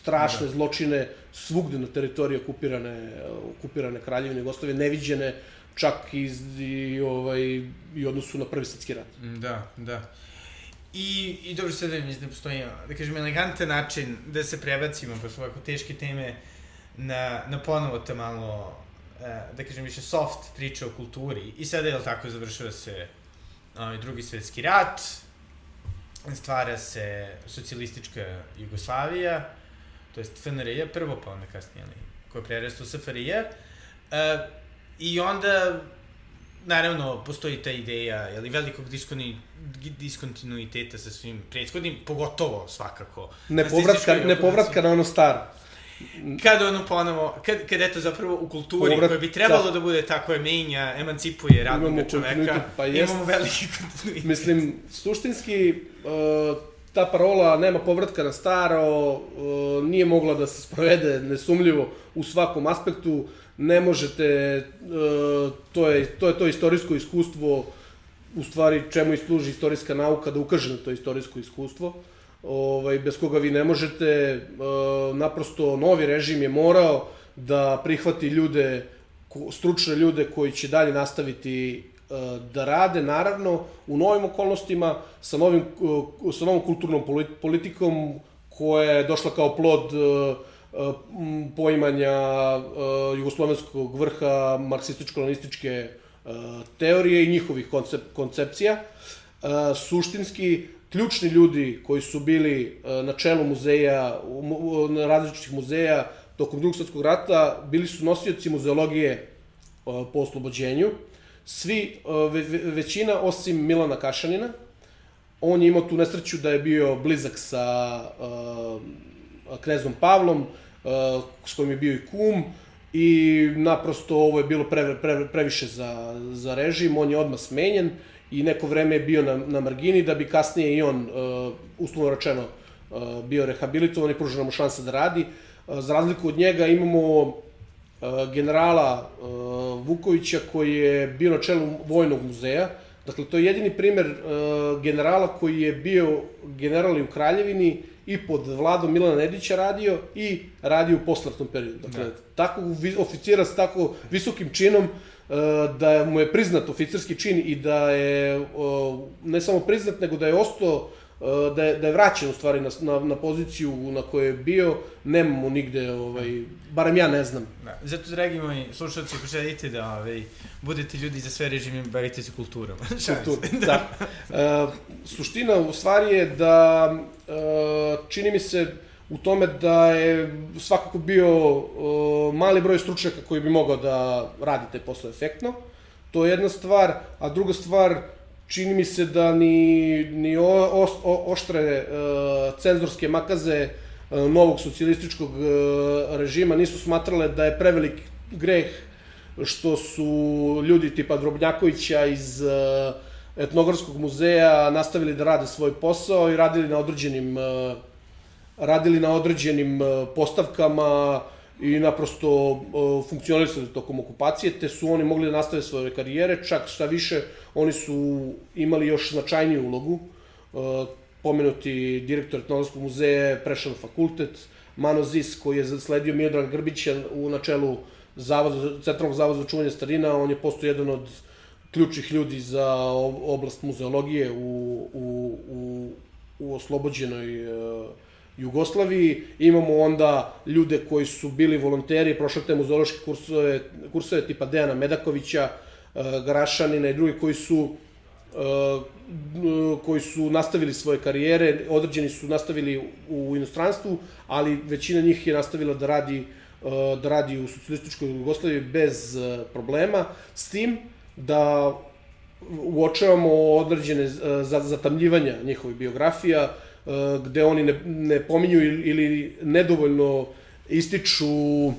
strašne zločine svugde na teritoriji okupirane Kraljevine Jugoslavije, neviđene čak i odnosu na Prvi svjetski rat. Da. I dobro, sada mislim da postoji, da kažem, elegantan način da se prebacimo posle ovako teške teme na ponovo ta malo, da kažem, više soft priča o kulturi. I sada, je li tako, završava se Drugi svjetski rat, stvara se socijalistička Jugoslavija, to jest FNRJ prvo, pa onda kasnije, koja je prerasta u SFRJ, i onda, naravno, postoji ta ideja velikog diskontinuiteta sa svim prethodnim, pogotovo svakako. Nepovratka na ono staro. Kada ono ponovo, kada eto zapravo u kulturi koja bi trebalo da bude tako je menja, emancipuje radnog čoveka, imamo veliki kontinuitet. Mislim, suštinski, ta parola nema povratka na staro, nije mogla da se sprovede nesumljivo u svakom aspektu. Ne možete, to je to istorijsko iskustvo, u stvari čemu i služi istorijska nauka, da ukaže na to istorijsko iskustvo, bez koga vi ne možete. Naprosto novi režim je morao da prihvati stručne ljude koji će dalje nastaviti da rade, naravno, u novim okolnostima, sa novom kulturnom politikom koja je došla kao plod poimanja jugoslovenskog vrha marksističko-lenističke teorije i njihovih koncepcija. Suštinski, ključni ljudi koji su bili na čelu muzeja, različitih muzeja tokom Drugog svjetskog rata, bili su nosioci muzeologije po oslobođenju. Većina osim Milana Kašanina. On je imao tu nesreću da je bio blizak sa knezom Pavlom, s kojim je bio i kum, i naprosto ovo je bilo previše za režim. On je odmah smenjen i neko vreme je bio na margini, da bi kasnije i on, uslovno rečeno, bio rehabilitovan i pružena mu šansa da radi. Za razliku od njega imamo generala Vukovića, koji je bio na čelu Vojnog muzeja. Dakle, to je jedini primer generala koji je bio general i u Kraljevini i pod vladom Milana Nedića radio u posleratnom periodu. Dakle, takvog oficira s tako visokim činom, da mu je priznat oficirski čin i da je ne samo priznat, nego da je ostao, da je vraćen u stvari na poziciju na kojoj je bio, nemamo nigde, barem ja ne znam. Zato, dragi moji slušalci, ako želite da budete ljudi za sve režime, bavite se kulturom. Da. Suština u stvari je da čini mi se u tome da je svakako bio mali broj stručnjaka koji bi mogao da radi te posle efektno. To je jedna stvar, a druga stvar, čini mi se da ni oštre cenzorske makaze novog socijalističkog režima nisu smatrale da je prevelik greh što su ljudi tipa Drobnjakovića iz Etnografskog muzeja nastavili da rade svoj posao i radili na određenim postavkama i naprosto funkcionisali tokom okupacije, te su oni mogli da nastave svoje karijere, čak šta više, oni su imali još značajniju ulogu. Pomenuti direktor Etnografskog muzeja, prešao na fakultet, Mano Zis, koji je sledio Miodraga Grbića u načelu Centralnog zavoda za čuvanje starina, on je postao jedan od ključnih ljudi za oblast muzeologije u oslobođenoj Jugoslaviji. Imamo onda ljude koji su bili volonteri, prošli te muzeološke kursove tipa Dejana Medakovića, Garašanina i drugi koji su nastavili svoje karijere, određeni su nastavili u inostranstvu, ali većina njih je nastavila da radi u socijalističkoj Jugoslaviji bez problema, s tim da uočavamo određene zatamljivanja njihovih biografija, gde oni ne pominju ili nedovoljno ističu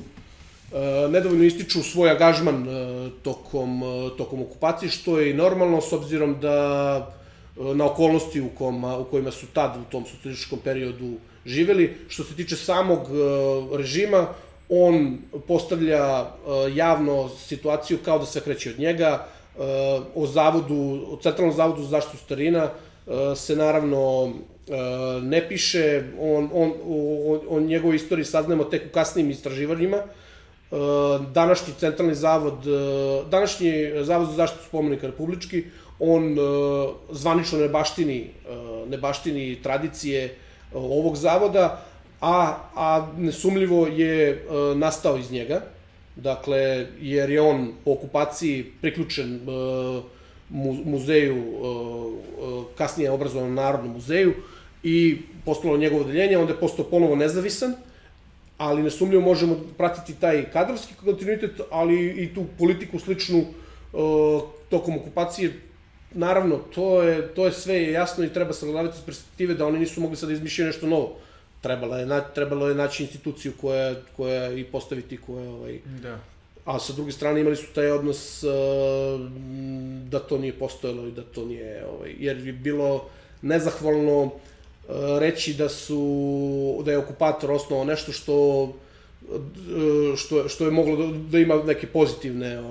svoj angažman tokom okupacije, što je i normalno s obzirom da na okolnosti u kojima su tad u tom socijalističkom periodu živeli. Što se tiče samog režima, on postavlja javno situaciju kao da sve kreće od njega. O Centralnom zavodu za zaštitu starina se naravno ne piše, o njegovoj istoriji saznajemo tek u kasnijim istraživanjima. Današnji Zavod za zaštitu spomenika republički, on zvanično ne baštini tradicije ovog zavoda, a nesumljivo je nastao iz njega, dakle, jer je on po okupaciji priključen muzeju, kasnije obrazovanom Narodnom muzeju, i postalo njegovo odeljenje, onda je postao ponovo nezavisan, ali nesumljivo možemo pratiti taj kadrovski kontinuitet, ali i tu politiku sličnu tokom okupacije. Naravno, to je sve jasno i treba sagledavati iz perspektive da oni nisu mogli sad izmišljati nešto novo. Trebalo je naći instituciju koja i postaviti koja... Da. A sa druge strane imali su taj odnos da to nije postojalo i da to nije... Jer je bilo nezahvalno reći da je okupator osnovao nešto što je moglo da ima neke pozitivne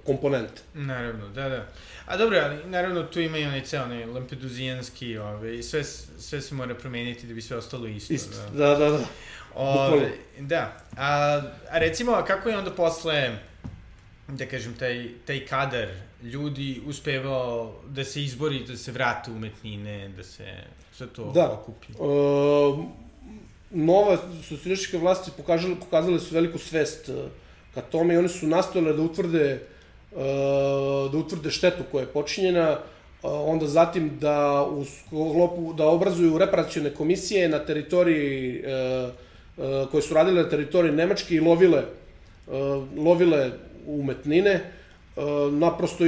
komponente. Naravno, da. A dobro, ali naravno tu ima i onaj ceo, onaj lampeduzijanski, sve se mora promeniti da bi sve ostalo isto. Isto, da. Da, a recimo, kako je onda posle, da kažem, taj kadar ljudi uspevao da se izbori, da se vrate umetnine, da se sve to okupi? Nova socijalističke vlasti pokazale su veliku svest ka tome i oni su nastojale da utvrde štetu koja je počinjena, onda zatim da obrazuju reparacione komisije na teritoriji koje su radile na teritoriji Nemačke i lovile umetnine. Naprosto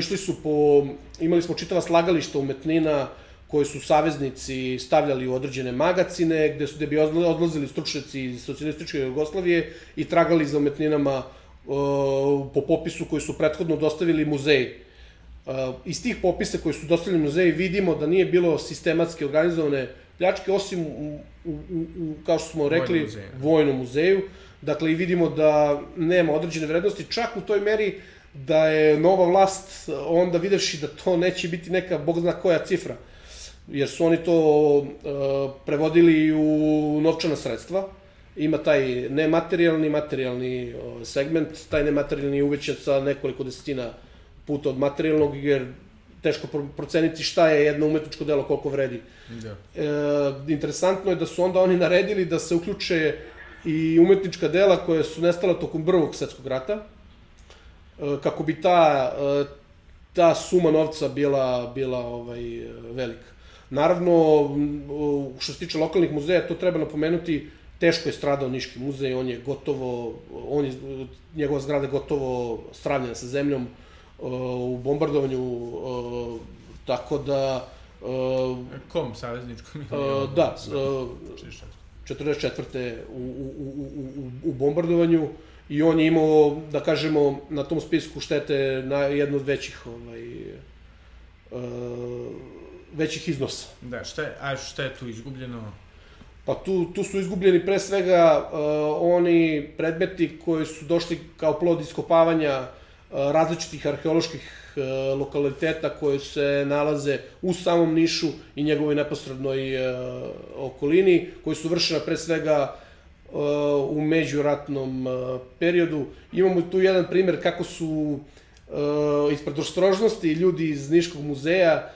imali smo čitava slagališta umetnina koje su saveznici stavljali u određene magacine, gde bi odlazili stručnjaci iz socijalističke Jugoslavije i tragali za umetninama po popisu koji su prethodno dostavili muzeji. Iz tih popisa koji su dostavili muzeji vidimo da nije bilo sistematski organizovane pljačke, osim kao što smo rekli, Vojnom muzeju. Dakle, i vidimo da nema određene vrednosti, čak u toj meri da je nova vlast onda videvši da to neće biti neka bog zna koja cifra, jer su oni to prevodili u novčana sredstva. Ima taj nematerijalni, materijalni segment, taj nematerijalni je uvećan sa nekoliko desetina puta od materijalnog, jer teško proceniti šta je jedno umetničko delo, koliko vredi. Interesantno je da su onda oni naredili da se uključe i umetnička dela koja su nestala tokom Prvog svetskog rata, kako bi ta suma novca bila velika. Naravno, što se tiče lokalnih muzeja, to treba napomenuti, teško je stradao Niški muzej, njegova zgrada je gotovo sravnjena sa zemljom, u bombardovanju, tako da... Kom, savezničkom? Da, 44. u bombardovanju, i on je imao, da kažemo, na tom spisku štete na jednu od većih iznosa. Da, šta je tu izgubljeno? Pa tu su izgubljeni pre svega oni predmeti koji su došli kao plod iskopavanja različitih arheoloških lokaliteta koje se nalaze u samom Nišu i njegovoj neposrednoj okolini, koji su vršena pre svega u međuratnom periodu. Imamo tu jedan primer kako su iz predostrožnosti ljudi iz Niškog muzeja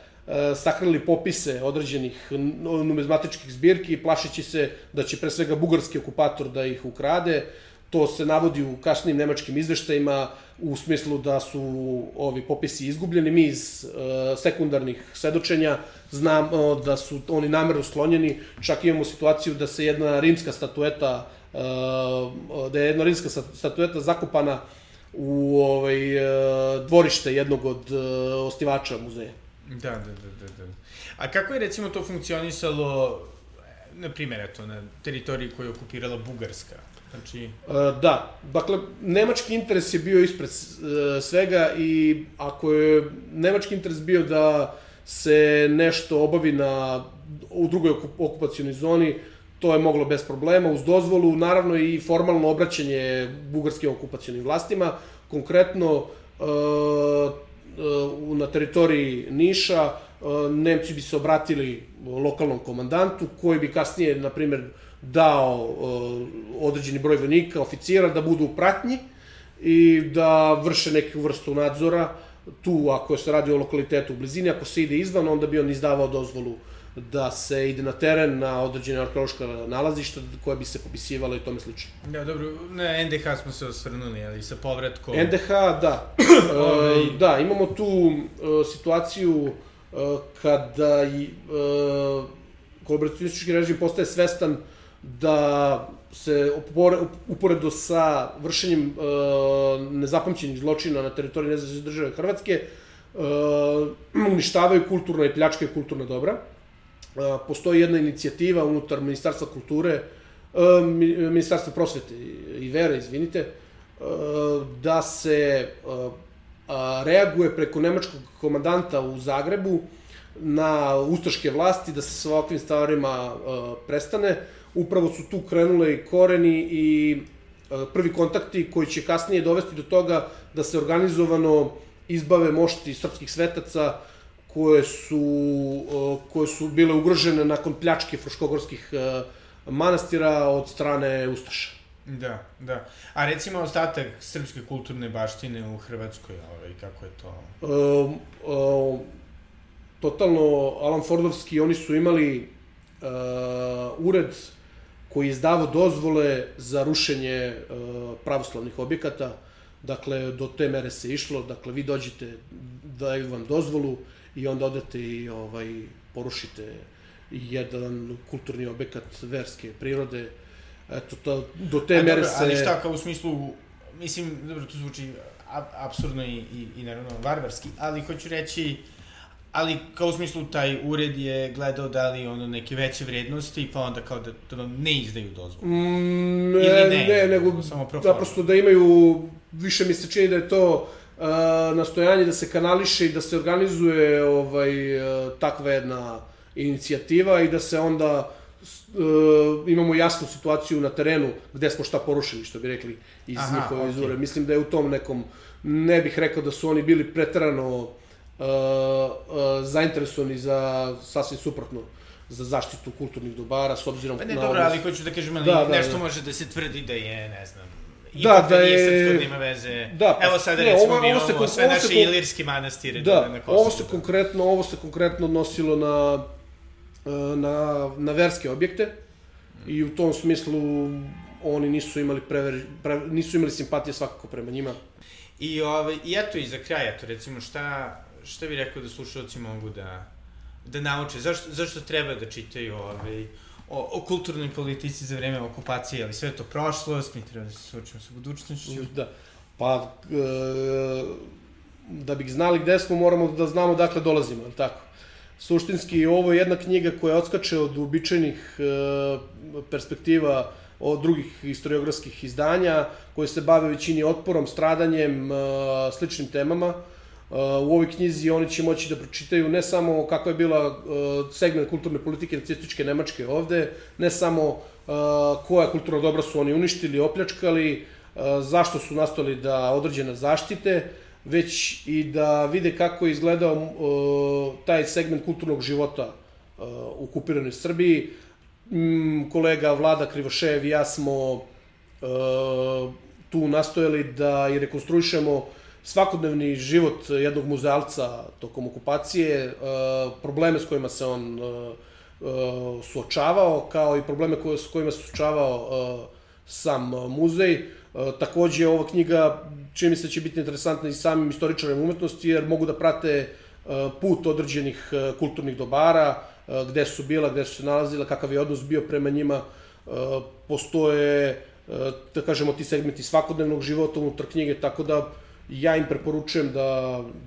sakrili popise određenih numizmatičkih zbirki, plašeći se da će pre svega bugarski okupator da ih ukrade. To se navodi u kasnijim nemačkim izveštajima u smislu da su ovi popisi izgubljeni. Mi iz sekundarnih svedočenja znamo da su oni namerno sklonjeni. Čak imamo situaciju da se jedna rimska statueta zakopana u dvorište jednog od osnivača muzeja. Da. A kako je recimo to funkcionisalo, na primjer, na teritoriji koju je okupirala Bugarska? Znači... Da, dakle, nemački interes je bio ispred svega, i ako je nemački interes bio da se nešto obavi u drugoj okupacionoj zoni, to je moglo bez problema, uz dozvolu, naravno i formalno obraćanje bugarskim okupacionim vlastima. Konkretno, na teritoriji Niša, Nemci bi se obratili lokalnom komandantu, koji bi kasnije, na primjer, dao određeni broj vojnika, oficira, da budu u pratnji i da vrše neku vrstu nadzora. Tu, ako se radi o lokalitetu u blizini, ako se ide izvan, onda bi on izdavao dozvolu da se ide na teren, na određene arheološka nalazišta koje bi se popisivalo i tome slično. Da, dobro, na NDH smo se osvrnuli, ali sa povratkom... NDH, da. Da, imamo tu situaciju kada kolaboracionistički režim postaje svestan da se uporedo sa vršenjem nezapamćenih zločina na teritoriji nezavisne države Hrvatske uništavaju kulturna i pljačkaju kulturna dobra. Postoji jedna inicijativa unutar Ministarstva kulture, Ministarstva prosvete i vere, izvinite, da se reaguje preko nemačkog komandanta u Zagrebu na ustaške vlasti, da se sa ovakvim stvarima prestane. Upravo su tu krenule i koreni i prvi kontakti koji će kasnije dovesti do toga da se organizovano izbave mošti srpskih svetaca koje su bile ugrožene nakon pljačke fruškogorskih manastira od strane ustaša. Da. A recimo ostatak srpske kulturne baštine u Hrvatskoj, kako je to? Totalno Alan Fordovski, oni su imali ured koji je izdavao dozvole za rušenje pravoslavnih objekata. Dakle, do te mere se išlo. Dakle, vi dođete, daju vam dozvolu i onda odete i porušite jedan kulturni objekat verske prirode. Eto, do te mere se... Ali šta, kao u smislu, mislim, dobro, to zvuči apsurdno i naravno varvarski, ali hoću reći, ali kao u smislu taj ured je gledao da li neke veće vrednosti, pa onda kao da vam ne izdaju dozvolu. Ne, nego naprosto da imaju, više mi se čini da je to nastojanje da se kanališe i da se organizuje takva jedna inicijativa i da se onda imamo jasnu situaciju na terenu gde smo šta porušili, što bi rekli iz njihove izvore. Mislim da je u tom nekom, ne bih rekao da su oni bili preterano zainteresovani za sasvim suprotno, za zaštitu kulturnih dobara, s obzirom na... Pa ne, dobro, ali hoću da kažem, nešto može da se tvrdi da je, ne znam, ipak da nije srpsko, da ima veze. Evo sada recimo mi imamo sve naše ilirski manastire na Kosovu. Ovo se konkretno odnosilo na verske objekte i u tom smislu oni nisu imali simpatije svakako prema njima. I eto, i za kraj, eto, recimo, šta bi rekao da slušalci mogu da nauče? Zašto treba da čitaju o kulturnoj politici za vreme okupacije, ali sve to prošlost, mi treba da se suočimo sa budućnošću? Da, pa da bi znali gde smo, moramo da znamo dakle dolazimo, ali tako? Suštinski, ovo je jedna knjiga koja odskače od uobičajenih perspektiva od drugih historiografskih izdanja, koje se bave većini otporom, stradanjem, sličnim temama. U ovoj knjizi oni će moći da pročitaju ne samo kakva je bila segment kulturne politike nacističke Nemačke ovde, ne samo koja kulturna dobra su oni uništili, opljačkali, zašto su nastali da određene zaštite, već i da vide kako je izgledao taj segment kulturnog života u okupiranoj Srbiji. Kolega Vlada Krivošev i ja smo tu nastojali da i rekonstruišemo svakodnevni život jednog muzealca tokom okupacije, probleme s kojima se on suočavao, kao i probleme s kojima se suočavao sam muzej. Takođe, ova knjiga, čini mi se, će biti interesantna i samim istoričarima umetnosti, jer mogu da prate put određenih kulturnih dobara, gde su bila, gde su se nalazila, kakav je odnos bio prema njima. Postoje, da kažemo, ti segmenti svakodnevnog života unutar knjige, tako da ja im preporučujem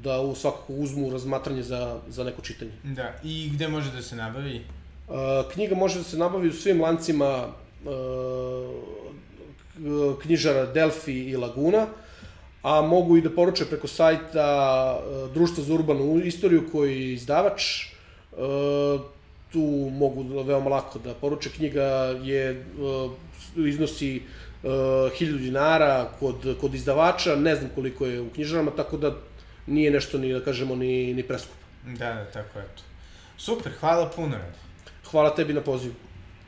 da svakako uzmu razmatranje za neko čitanje. Da, i gde može da se nabavi? Knjiga može da se nabavi u svim lancima knjižara Delfi i Laguna, a mogu i da poruče preko sajta Društva za urbanu istoriju koji je izdavač. Tu mogu veoma lako da poruče. Knjiga iznosi 1000 dinara kod izdavača, ne znam koliko je u knjižarama, tako da nije nešto ni, da kažemo, ni preskupo. Da, tako je to. Super, hvala puno, Rade. Hvala tebi na pozivu.